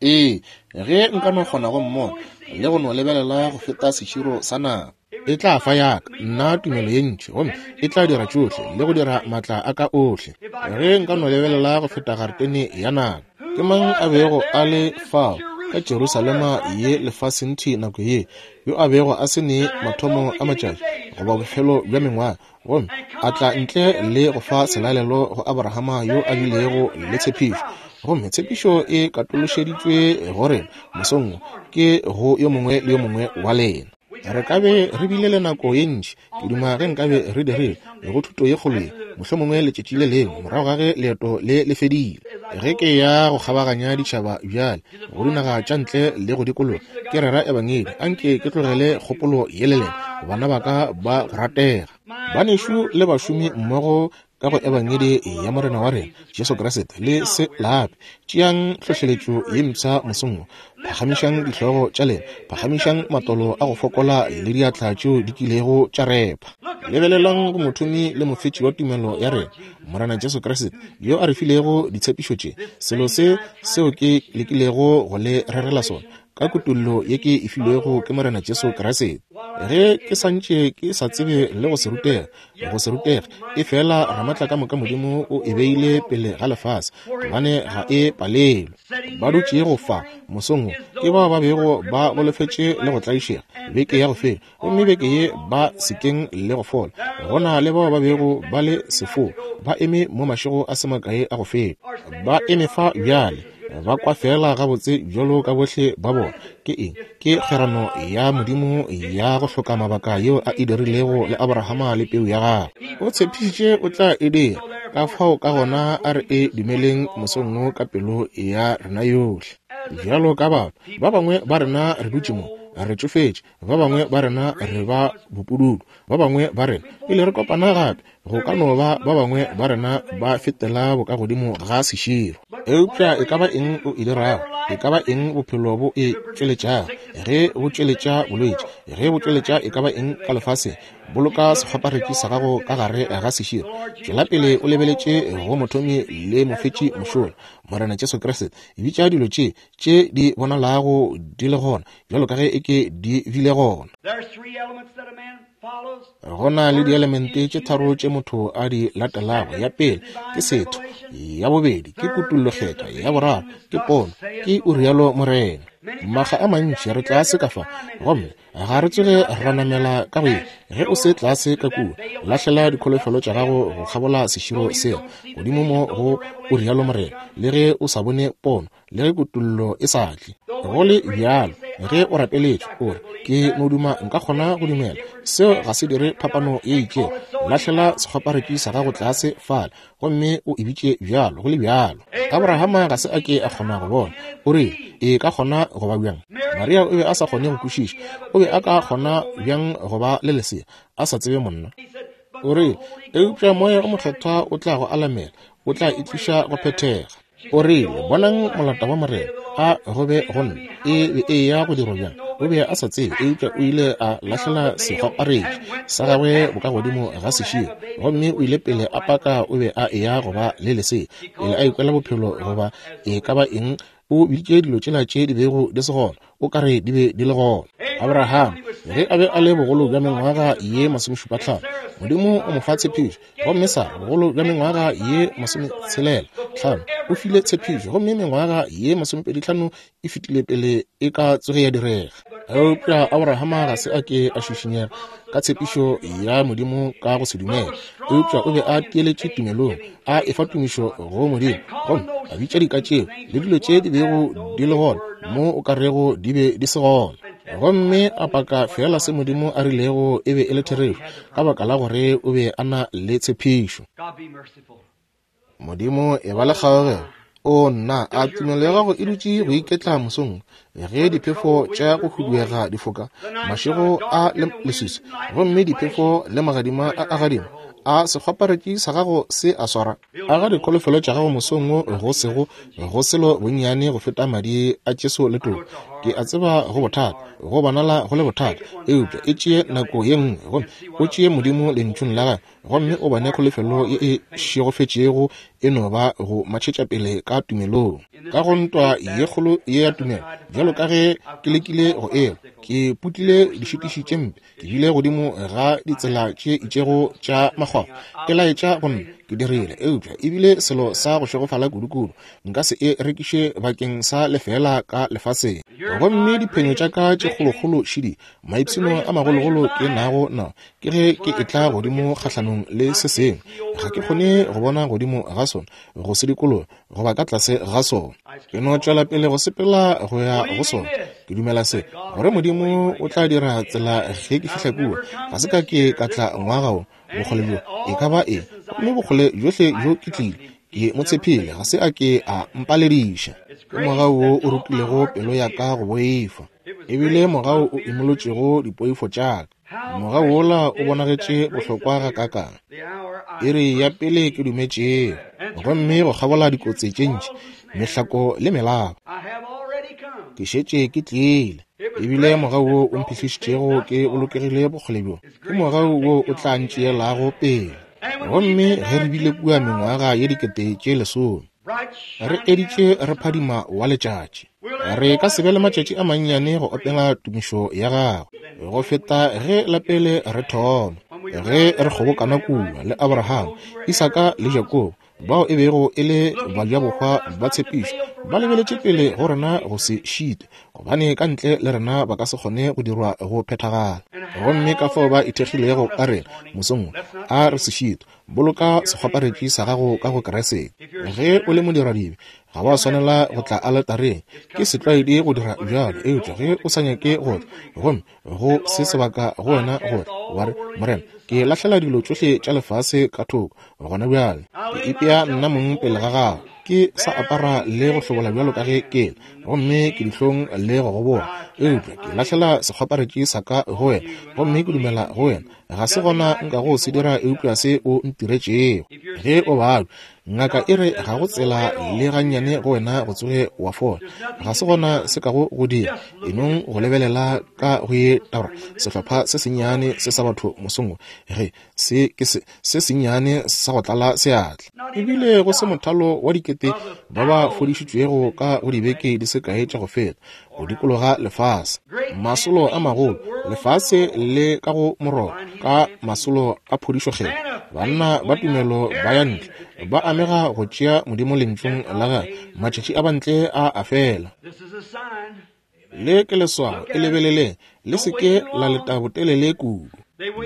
Ee, ge nka no kgona go mmona le go no lebelela go feta seširo sa nako. E tla fa yaka nna tumelo ye ntši, gomme e tla dira tšohle le go dira maatla a ka ohle. Ge nka no lebelela go feta garetene ya nako. Ke mang a bego a le fao ka Jerusalema ye lefaseng thwi nako ye, yo a bego a se ne mathomo a matšatši goba bofelo bja mengwaga, gomme a tla ntle le go fa selalelo go Abrahama yo a bilego le tshepišo? Gomme tshepišo e katološeditšwe go rena mosong wo, ke go yo mongwe le yo mongwe wa lena. Re ka be re bile le nako ye ntši, ke duma ge nkabe re dirile go thuto ye kgolo ye, mohlomongwe letšatši le lengwe morago ga ge leeto le le fedile. Ge ke ya go kgabaganya ditšhaba bjale, go dinaga tša ntle le go dikologa, ke rera Ebangedi, anke ke tlogele kgopolo ye le lena, bana ba ka ba go ratega, banešu le bašomi mmogo ka go Ebangedi ya Morena wa rena Jesu Kriste. Le se lape. Tšeang tlhohleletšo ye mpsha mosong wo. Phagamišang dihlogo tša lena, phagamišang matolo a go fokola le diatla tšeo di kilego tša repha. Lebelelang go mothomi le mofetši wa tumelo ya rena, Morena Jesu Kriste, yo a re filego ditshepišo tše. Selo se seo ke lekilego go le rerela sona, ka kutollo ye ke e filwego ke Morena Jesu Kriste. Ge ke sa ntše ke sa tsebe le go se rutega, go se rutege, efela Ramatlakamoka Modimo o e beile pele ga lefase, gobane ga e palelwe. Ba dutšego fa mosong wo ke bao ba bego ba golofetše le go tlaišega beke ya go fela, gomme beke ye ba sekeng le go fola. Go na le bao ba bego ba le sefo, ba eme mo mašego a se makae a go feta, ba eme fa bjale, ba kwa feela gabotse bjalo ka bohle ba bona. Ke eng? Ke kgwerano ya Modimo ya go hloka mabaka yeo a e dirilego le Abrahama le peu ya gagwe. O tshepišitše o tla e dira, ka fao ka gona a re e dumeleng mosong wo ka pelo ya rena yohle. Bjalo ka batho, ba bangwe ba rena re dutše mo, re tšofetše, ba bangwe ba rena re ba bopududu, ba bangwe ba rena pele re kopana gape go ka no ba ba bangwe ba rena ba fetela bokagodimo ga seširo. Eupša e ka ba eng o e dirago, e ka ba eng bophelo bo e tšweletšago, ge bo tšweletša bolwetši, ge bo tšweletša e ka ba eng ka lefaseng, boloka sekgwaparetši sa gago ka gare ga seširo. Tšwela pele o lebeletše go mothomi le mofetši mošola, Morena Jesu Kriste. Bitša dilo tše tše di bonalago di le gona, bjalo ka ge e ke di bile gona. Go na le dielemente tše tharo tše motho a di latelago. Ya pele ke setho, ya bobedi ke kutullokgethwa, ya boraro ke pono, ke o rialo Morena. Makga a mantši re tlase ka fa gomme ga re tsoge ra namela ka go ye. Ge o se tlase ka kua, lahlela dikholofelo tša gago go kgabola seširo seo godimo mo go o rialo Morena, le ge o sa bone pono, le ge kutollo e sa tle. Go le bjalo, ge o rapeletšwe, o re, Ke no duma nka kgona go dumela. Seo ga se dire phapano ye itšego. Lahlela sekgwaparetši sa gago tlase fale gomme o e bitše bjalo, go le bjalo. Abrahama ga se a ke a kgona go bona. O rile, E ka kgona go ba bjang? Maria o be a sa kgone go kwešiša. O be a ka kgona bjang go ba le lesea a sa tsebe monna? O rile, Eupša Moya o Mokgethwa o tla go alamela, o tla e tliša go phethega. O rile, Bonang molata wa Morena, a go be go nna. E be e ya go dirwa bjang? O be a sa tsebe, eupša o ile a lahlela sekgwaparetši sa gagwe bokagodimo ga seširo, gomme o ile pele a paka o be a eya go ba le lesea, pele a ikwela bophelo goba e ka ba eng. O biditše dilo tšela tše di bego di se gona, o ka re di be di le gona. Abraham, ge a be a le bogolo bja mengwaga ye 75, Modimo o mo fa tshepišo. Gomme Sara, bogolo bja mengwaga ye 65, o file tshepišo, gomme mengwaga ye 25 e fetile pele e ka tsoge ya direga. Eupša Abrahama ga se a ke a šišinyega ka tshepišo ya Modimo ka go se dumele, eupša o be a tieletše tumelong, a efa tumišo go Modimo, gomme a bitša dika tšeo le dilo tše di bego di le gona mo o ka rego di be di se gona, gomme a paka feela se Modimo a rilego e be e le therešo, ka baka la gore o be a na le tshepišo. Modimo e ba le kgaogelo. O nna, a tumelo ya gago e dutše go iketla mosong ge diphefo tša go huduega di foka, mašego a le leswiswi, gomme diphefo le magadima a a gadima, a sekgwaparetši sa gago se a swara? A ga dikholofelo tša gago mosong wo go sego go selo bonnyane go feta madi a Jesu le toka? Ke a tseba go bothata, go bonala go le bothata, eupša e tšee nako ye nngwe gomme o tšee Modimo Lentšung la Gagwe gomme o bone kholofelo ye e šegofetšego e no ba go matšhetša pele ka tumelong. Ka go ntwa ye kgolo ye ya tumelo, bjalo ka ge ke lekile go elwa, ke putlile dišitiši tše mpe, ke bile godimo ga ditsela tše itšego tša makgwakgwa, ke laetša go nna ke dirile, eupša e bile selo sa go šegofala kudukudu, nka se e rekiše bakeng sa lefeela ka lefaseng. Gomme diphenyo tša ka tše kgolokgolo šidi, maipshino a magologolo ke nago nao, ke ge ke etla godimo kgahlanong le se sengwe, ga ke kgone go bona godimo ga sona, go se dikologa, goba ka tlase ga sona. Ke no tšwela pele go sepela go ya go sona. Ke dumela se, gore Modimo o tla dira tsela ge ke fihla kua. Ga se ka ke ka tla ngwaga wo, bokgole bjo e ka ba eng, gomme bokgole bjohle bjo ke tlile, ke mo tshephile, ga se a ke a mpalediša. Ke mogau wo o rutilego pelo ya ka go boifa, ebile mogau o imolotšego dipoifo tša ka. Mogau wola o bonagetše bohlokwa gakaakang! Iri ya pele ke dumetšego, gomme go kgabola dikotsi tše ntši, mehlako le melaba, ke šetše ke tlile. Ebile mogau wo o mphihlišitšego ke bolokegile bokgole bjo, ke mogau wo o tla ntšeelago pele. Gomme ge re bile kua mengwaga ye 10,000, re editše re phadima wa letšatši, re ka se be le matšatši a mannyane go opela tumišo ya gagwe go feta ge la pele re thoma, ge re kgobokana kua le Abraham, Isaka le Jakobo, bao e bego e le bajabohwa ba tshepišo, ba lebeletše pele go rena go se šite, gobane ka ntle le rena ba ka se kgone go dirwa go phethagala. Gomme ka fao ba ithekgilego ka rena mosong wo, a re se šitwe. Boloka sekgwaparetši sa gago ka go Kriste. Ge o le modiradibe, ga wa swanela go tla aletareng. Ke setlwaedi go dira bjalo, eupša ge o sa nyake go tla, gomme go se sebaka go wena go tla, wa re, Morena, ke lahlela dilo tšohle tša lefase ka thoko gona bjale. Ke ipea nna mong pele ga gago. Ke sa apara le go hlobola bjalo ka ge ke le, gomme ke dihlong le go goboga, eupša ke lahlela sekgwaparetši sa ka go wena, gomme ke dumela go wena. Ga se gona nka go se dira eupša se o ntiretšego. Ge o babja, ngaka e re ga go tsela le gannyane go wena go tsoge wa fola. Ga se gona se kago go dira. Enong go lebelela ka go ye tabra sehlopha se sennyane se sa batho mosong wo, ge se ke se, se sennyane sa go tlala seatla. Ebile go se mothalo wa dikete ba ba fodišitšwego ka go dibeke di se kae tša go feta, go dikologa lefase. Masolo a magolo, lefase le ka go morogo ka masolo a phodišokgethwa. Banna ba tumelo ba ya ntle, ba amega go tšea Modimo Lentšung la Gagwe. Matšatši a bantle a a fela. Le ke leswao, e lebeleleng, le se ke la leta botelele kudu.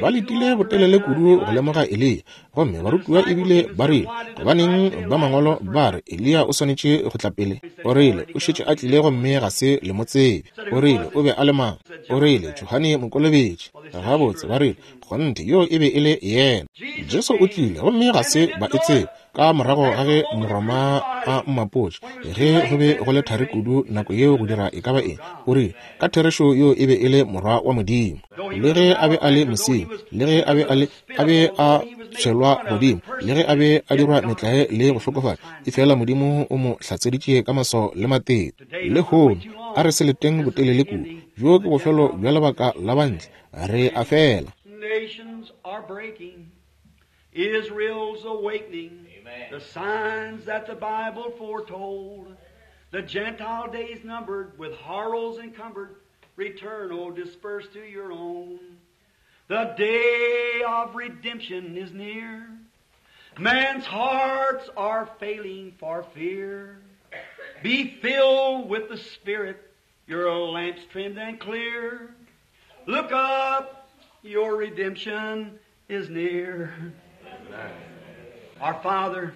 Ba letile botelele kudu go lemoga Eliya, gomme barutiwa ebile ba rile, Gobaneng ba mangwalo ba re Eliya o swanetše go tla pele? O rile, O šetše a tlile gomme ga se le mo tsebe. O rile, O be a le mang? O rile, Johane Mokolobetši. Gabotse, ba rile, kgonthe, yoo e be e le yena. Jesu o tlile gomme ga se ba e tsebe. Ka morago ga ge Moroma a mmapotše, ge go be go le thari kudu nako yeo go dira e ka ba eng, o rile, Ka therešo yo e be e le Morwa wa Modimo. Le ge a be a le mosenyi, le ge a be a le, a be a tshwelwa godimo, le ge a be a dirwa metlae le go hlokofatša, efela Modimo o mo hlatseditše ka maswao le matete. Lehono, a re se leteng botelele kudu. Bjo ke bofelo bja lebaka la bantle. Re a fela. Israel's awakening, Amen. The signs that the Bible foretold. The Gentile days numbered, with horrors encumbered, return, O dispersed to your own. The day of redemption is near. Man's hearts are failing for fear. Be filled with the Spirit, your lamps trimmed and clear. Look up, your redemption is near. Our Father,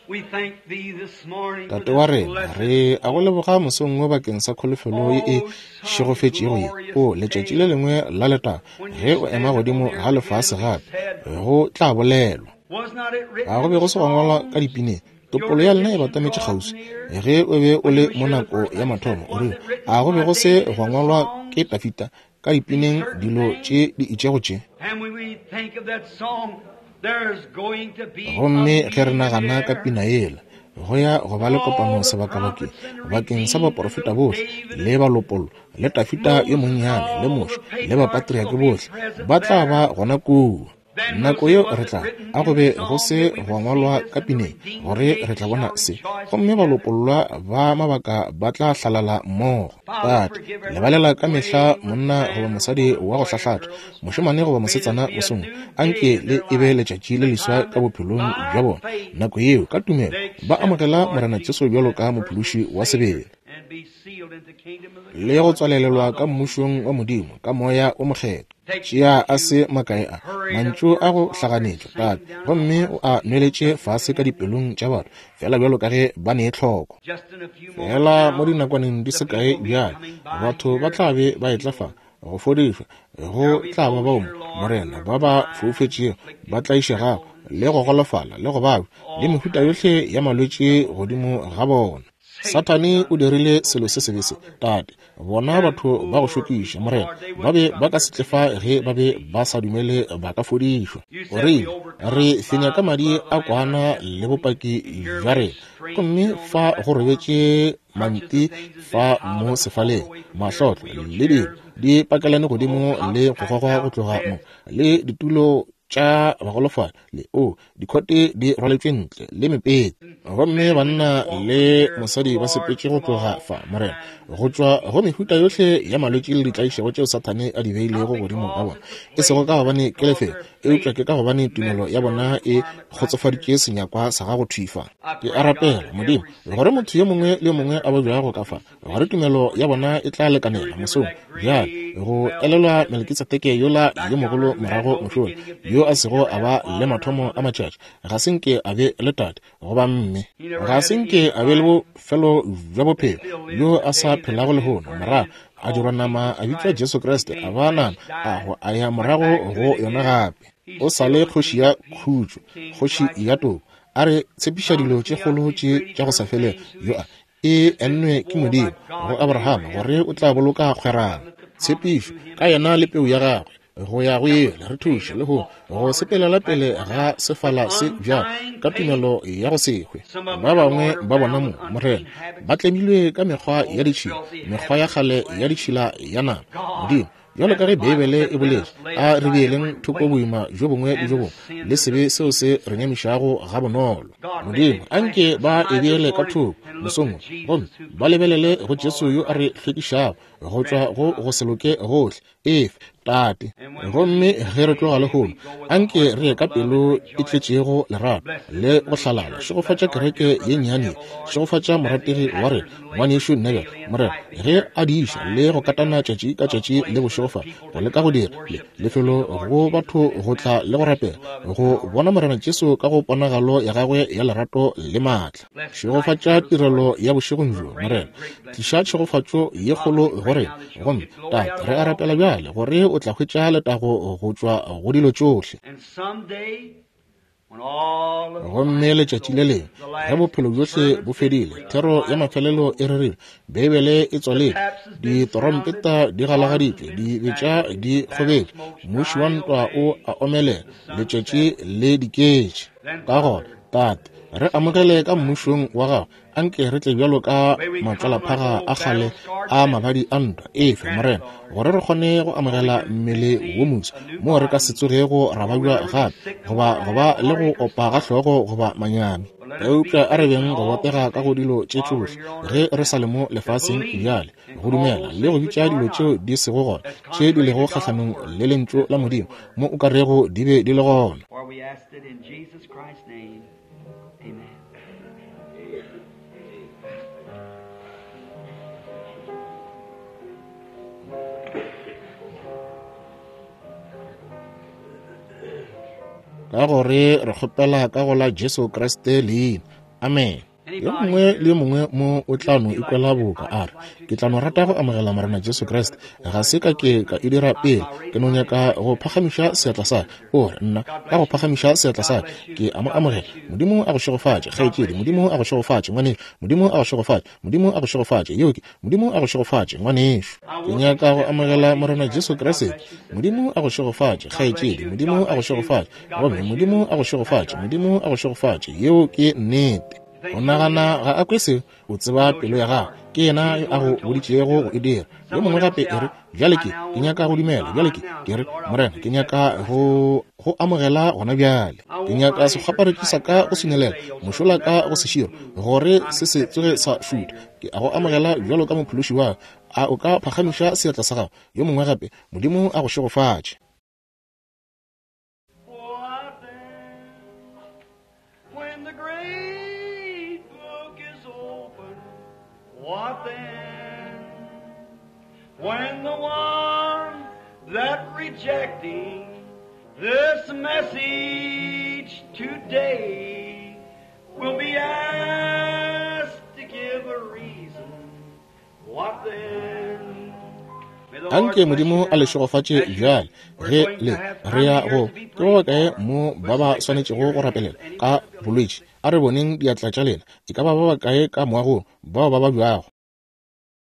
we thank Thee this morning for Tate wa this rena, blessed re a go leboga mosong wo bakeng sa kholofelo ye e šegofetšego ye. O letšatši le lengwe la letago, ge o ema godimo ga lefase gape, go tla bolelwa. Was not it written Ga go be go se gwa ngwalwa ka dipineng, topollo ya lena e batametše kgauswi. Ge o be o le mo nako ya mathomo, o rile, a go be go se gwa ngwalwa ke Dafida ka dipineng dilo tše di itšego tše? And when we think of that song, there's going to be a Gomme ge re meeting nagana ka there. pina yela, go ya go ba le kopano sebakabakeng bakeng sa baporofeta bohle le balopollo le Dafida yo monnyane le Moshe le bapatriake bohle ba tla ba gona kua. Nako yeo re tla a go be go se gwa ngwalwa ka pineng gore re tla bona se, gomme balopollwa ba mabaka ba tla hlalala mmogo. Tate, lebalela ka mehla monna goba mosadi wa go hlahlatha, mošemane goba mosetsana mosong, anke le e be letšatši le leswa ka bophelong bja bona. Nako yeo ka tumelo ba amogela Morena Jesu bjalo ka mophološi wa sebele And be sealed into the kingdom of the le go tswalelelwa ka mmušong wa Modimo ka moya o mokgethwa. Tšea a se makae a mantšu a go hlaganetšwa, Tate, gomme o a nweletše fase ka dipelong tša batho, fela bjalo ka ge ba ne tlhoko. Just in a few moments Fela mo now, dinakwaneng di the se kae people will be bjale, coming by batho ba here. tla be ba etla fa go fodišwa. Go tla ba bao, Morena, ba ba foufetšego, ba tlaišegago, le go golofala, le go babja, le mehuta yohle ya malwetši godimo ga bona. Sathane o dirile selo se sebe se, Tate. Bona batho ba go šokiša, Morena, ba be ba ka se tle fa ge ba be ba sa dumele ba ka fodišwa. O rile, re fenya ka madi a kwana le bopaki bja rena. Gomme fa go robetše manti fa mo sefaleng, mahlotlo le dilo di pakelane godimo le go gogwa go tloga mo, le ditulo tša bagolofadi le o dikhote di rwaletšwe ntle le mepete. Gomme banna le mosadi ba sepetše go tloga fa, Morena, go tšwa go mehuta yohle ya malwetši le ditlaišego tšeo Sathane a di beilego godimo ga bona, e sego ka gobane ke lefelo, eupša ke ka gobane tumelo ya bona e kgotsofaditše senyakwa sa gago thwi fa. Ke a rapela, Modimo, gore motho yo mongwe le yo mongwe a babjago ka fa, gore tumelo ya bona e tla lekanela mosong bjale go elelwa Melkitsedeke yola yo mogolo morago mošola, yo a sego a ba le mathomo a matšatši, ga se nke a be le tate goba mme, ga se nke a be le bofelo bja bophelo, yo a sa phelago lehono, morago a dirwa nama a bitšwa Jesu Kriste, a ba nama a go a ya morago go yona gape. O sa le kgoši ya khutšo, kgoši ya toko, a re tshepiša dilo tše kgolo tše tša go sa felego, yo a e ennwe ke Modimo go Abrahama gore o tla boloka kgwerano, tshepišo ka yena le peu ya gagwe go ya go ile. Re thuše le go go sepelela pele ga sefala se bjalo ka tumelo ya go se hwe. Ba bangwe ba bona mo, Morena, ba tlemilwe ka mekgwa ya ditšhila, mekgwa ya kgale ya ditšhila ya nama. Modimo, bjalo ka ge Beibele e boletše, a re beeleng thoko boima bjo bongwe le bjo bongwe le sebe seo se re nyamišago gabonolo. Modimo, anke ba e beele ka thoko mosong wo, gomme ba lebelele go Jesu yo a re hlwekišago go tšwa go go se loke gohle. Efe, Tate. Gomme ge re tloga lehono, anke re ye ka pelo e tletšego lerato le go hlalala. Šegofatša kereke ye nnyane ye. Šegofatša morategi wa rena, ngwanešu Neville, Morena, ge a diša le go katana tšatši ka tšatši le bošego fa, go leka go dira le lefelo go batho go tla le go rapela, go bona Morena Jesu ka go ponagalo ya gagwe ya lerato le maatla. Šegofatša tirelo ya bošegong bjo, Morena. Tliša tšhegofatšo ye kgolo go rena. Gomme, Tate, re a rapela bjale gore o tla hwetša letago go tšwa go dilo tšohle. And someday, when all of Gomme letšatši le lengwe ge bophelo bjohle bo fedile, thero ya mafelelo e rerilwe, Beibele e tswaletšwe, ditorompeta di galagaditšwe, dibetša di kgobetšwe, muši wa ntwa o a omelela, letšatši le diketše. Ka gona, Tate, Re amogele ka Mmušong wa Gago. Anke re tle bjalo ka matswalaphaga a kgale a mabadi a ntwa. Efe, Morena, gore re kgone go amogela mmele wo moswa, moo re ka se tsogego ra babja gape, goba go ba le go opa ga hlogo goba manyami. Eupša a re beng go botega ka go dilo tše tšohle ge re sa le mo lefaseng bjale, go dumela le go bitša dilo tšeo di sego gona, tše di lego kgahlanong le Lentšu la Modimo, mo o ka rego di be di le gona. Ka gore re kgopela ka go la Jesu Kriste leina. Amen. Yo mongwe le yo mongwe mo o tla no ikwela boka a re, Ke tla no rata go amogela Morena Jesu Kriste. Ga se ka ke ka e dira pele. Ke no nyaka go phagamiša seatla sa ka. O re, Nna, ka go phagamiša seatla sa ka, ke a mo amogela. Modimo a go šegofatše, kgaetšedi. Modimo a go šegofatše, ngwanešu. Modimo a go šegofatše. Modimo a go šegofatše. Yeo ke, Modimo a go šegofatše, ngwanešu. Ke nyaka go amogela Morena Jesu Kriste. Modimo a go šegofatše, kgaetšedi. Modimo a go šegofatše. Gomme Modimo a go šegofatše. Modimo a go šegofatše. Yeo ke nnete. O nagana ga a kwe seo? O tseba pelo ya gago. Ke yena yo a go boditšego go e dira. Yo mongwe gape e re, Bjale ke, ke nyaka go dumela. Bjale ke, ke re, Morena, ke nyaka go go amogela gona bjale. Ke nyaka sekgwaparetši sa ka go swinelela, mošola ka go seširo, gore se se tsoge sa šutha. Ke a go amogela bjalo ka Mophološi wa ka. A o ka phagamiša seatla sa gago? Yo mongwe gape, Modimo a go šegofatše. What then, when the great book is opened? What then, when the one that rejecting this message today will be asked to give a reason? What then? Anke Modimo a le šegofatše bjale ge le re ya go. Ke ba bakae mo ba ba swanetšego go rapelela ka bolwetši? A re boneng diatla tša lena. E ka ba ba bakae ka moagong bao ba babjago?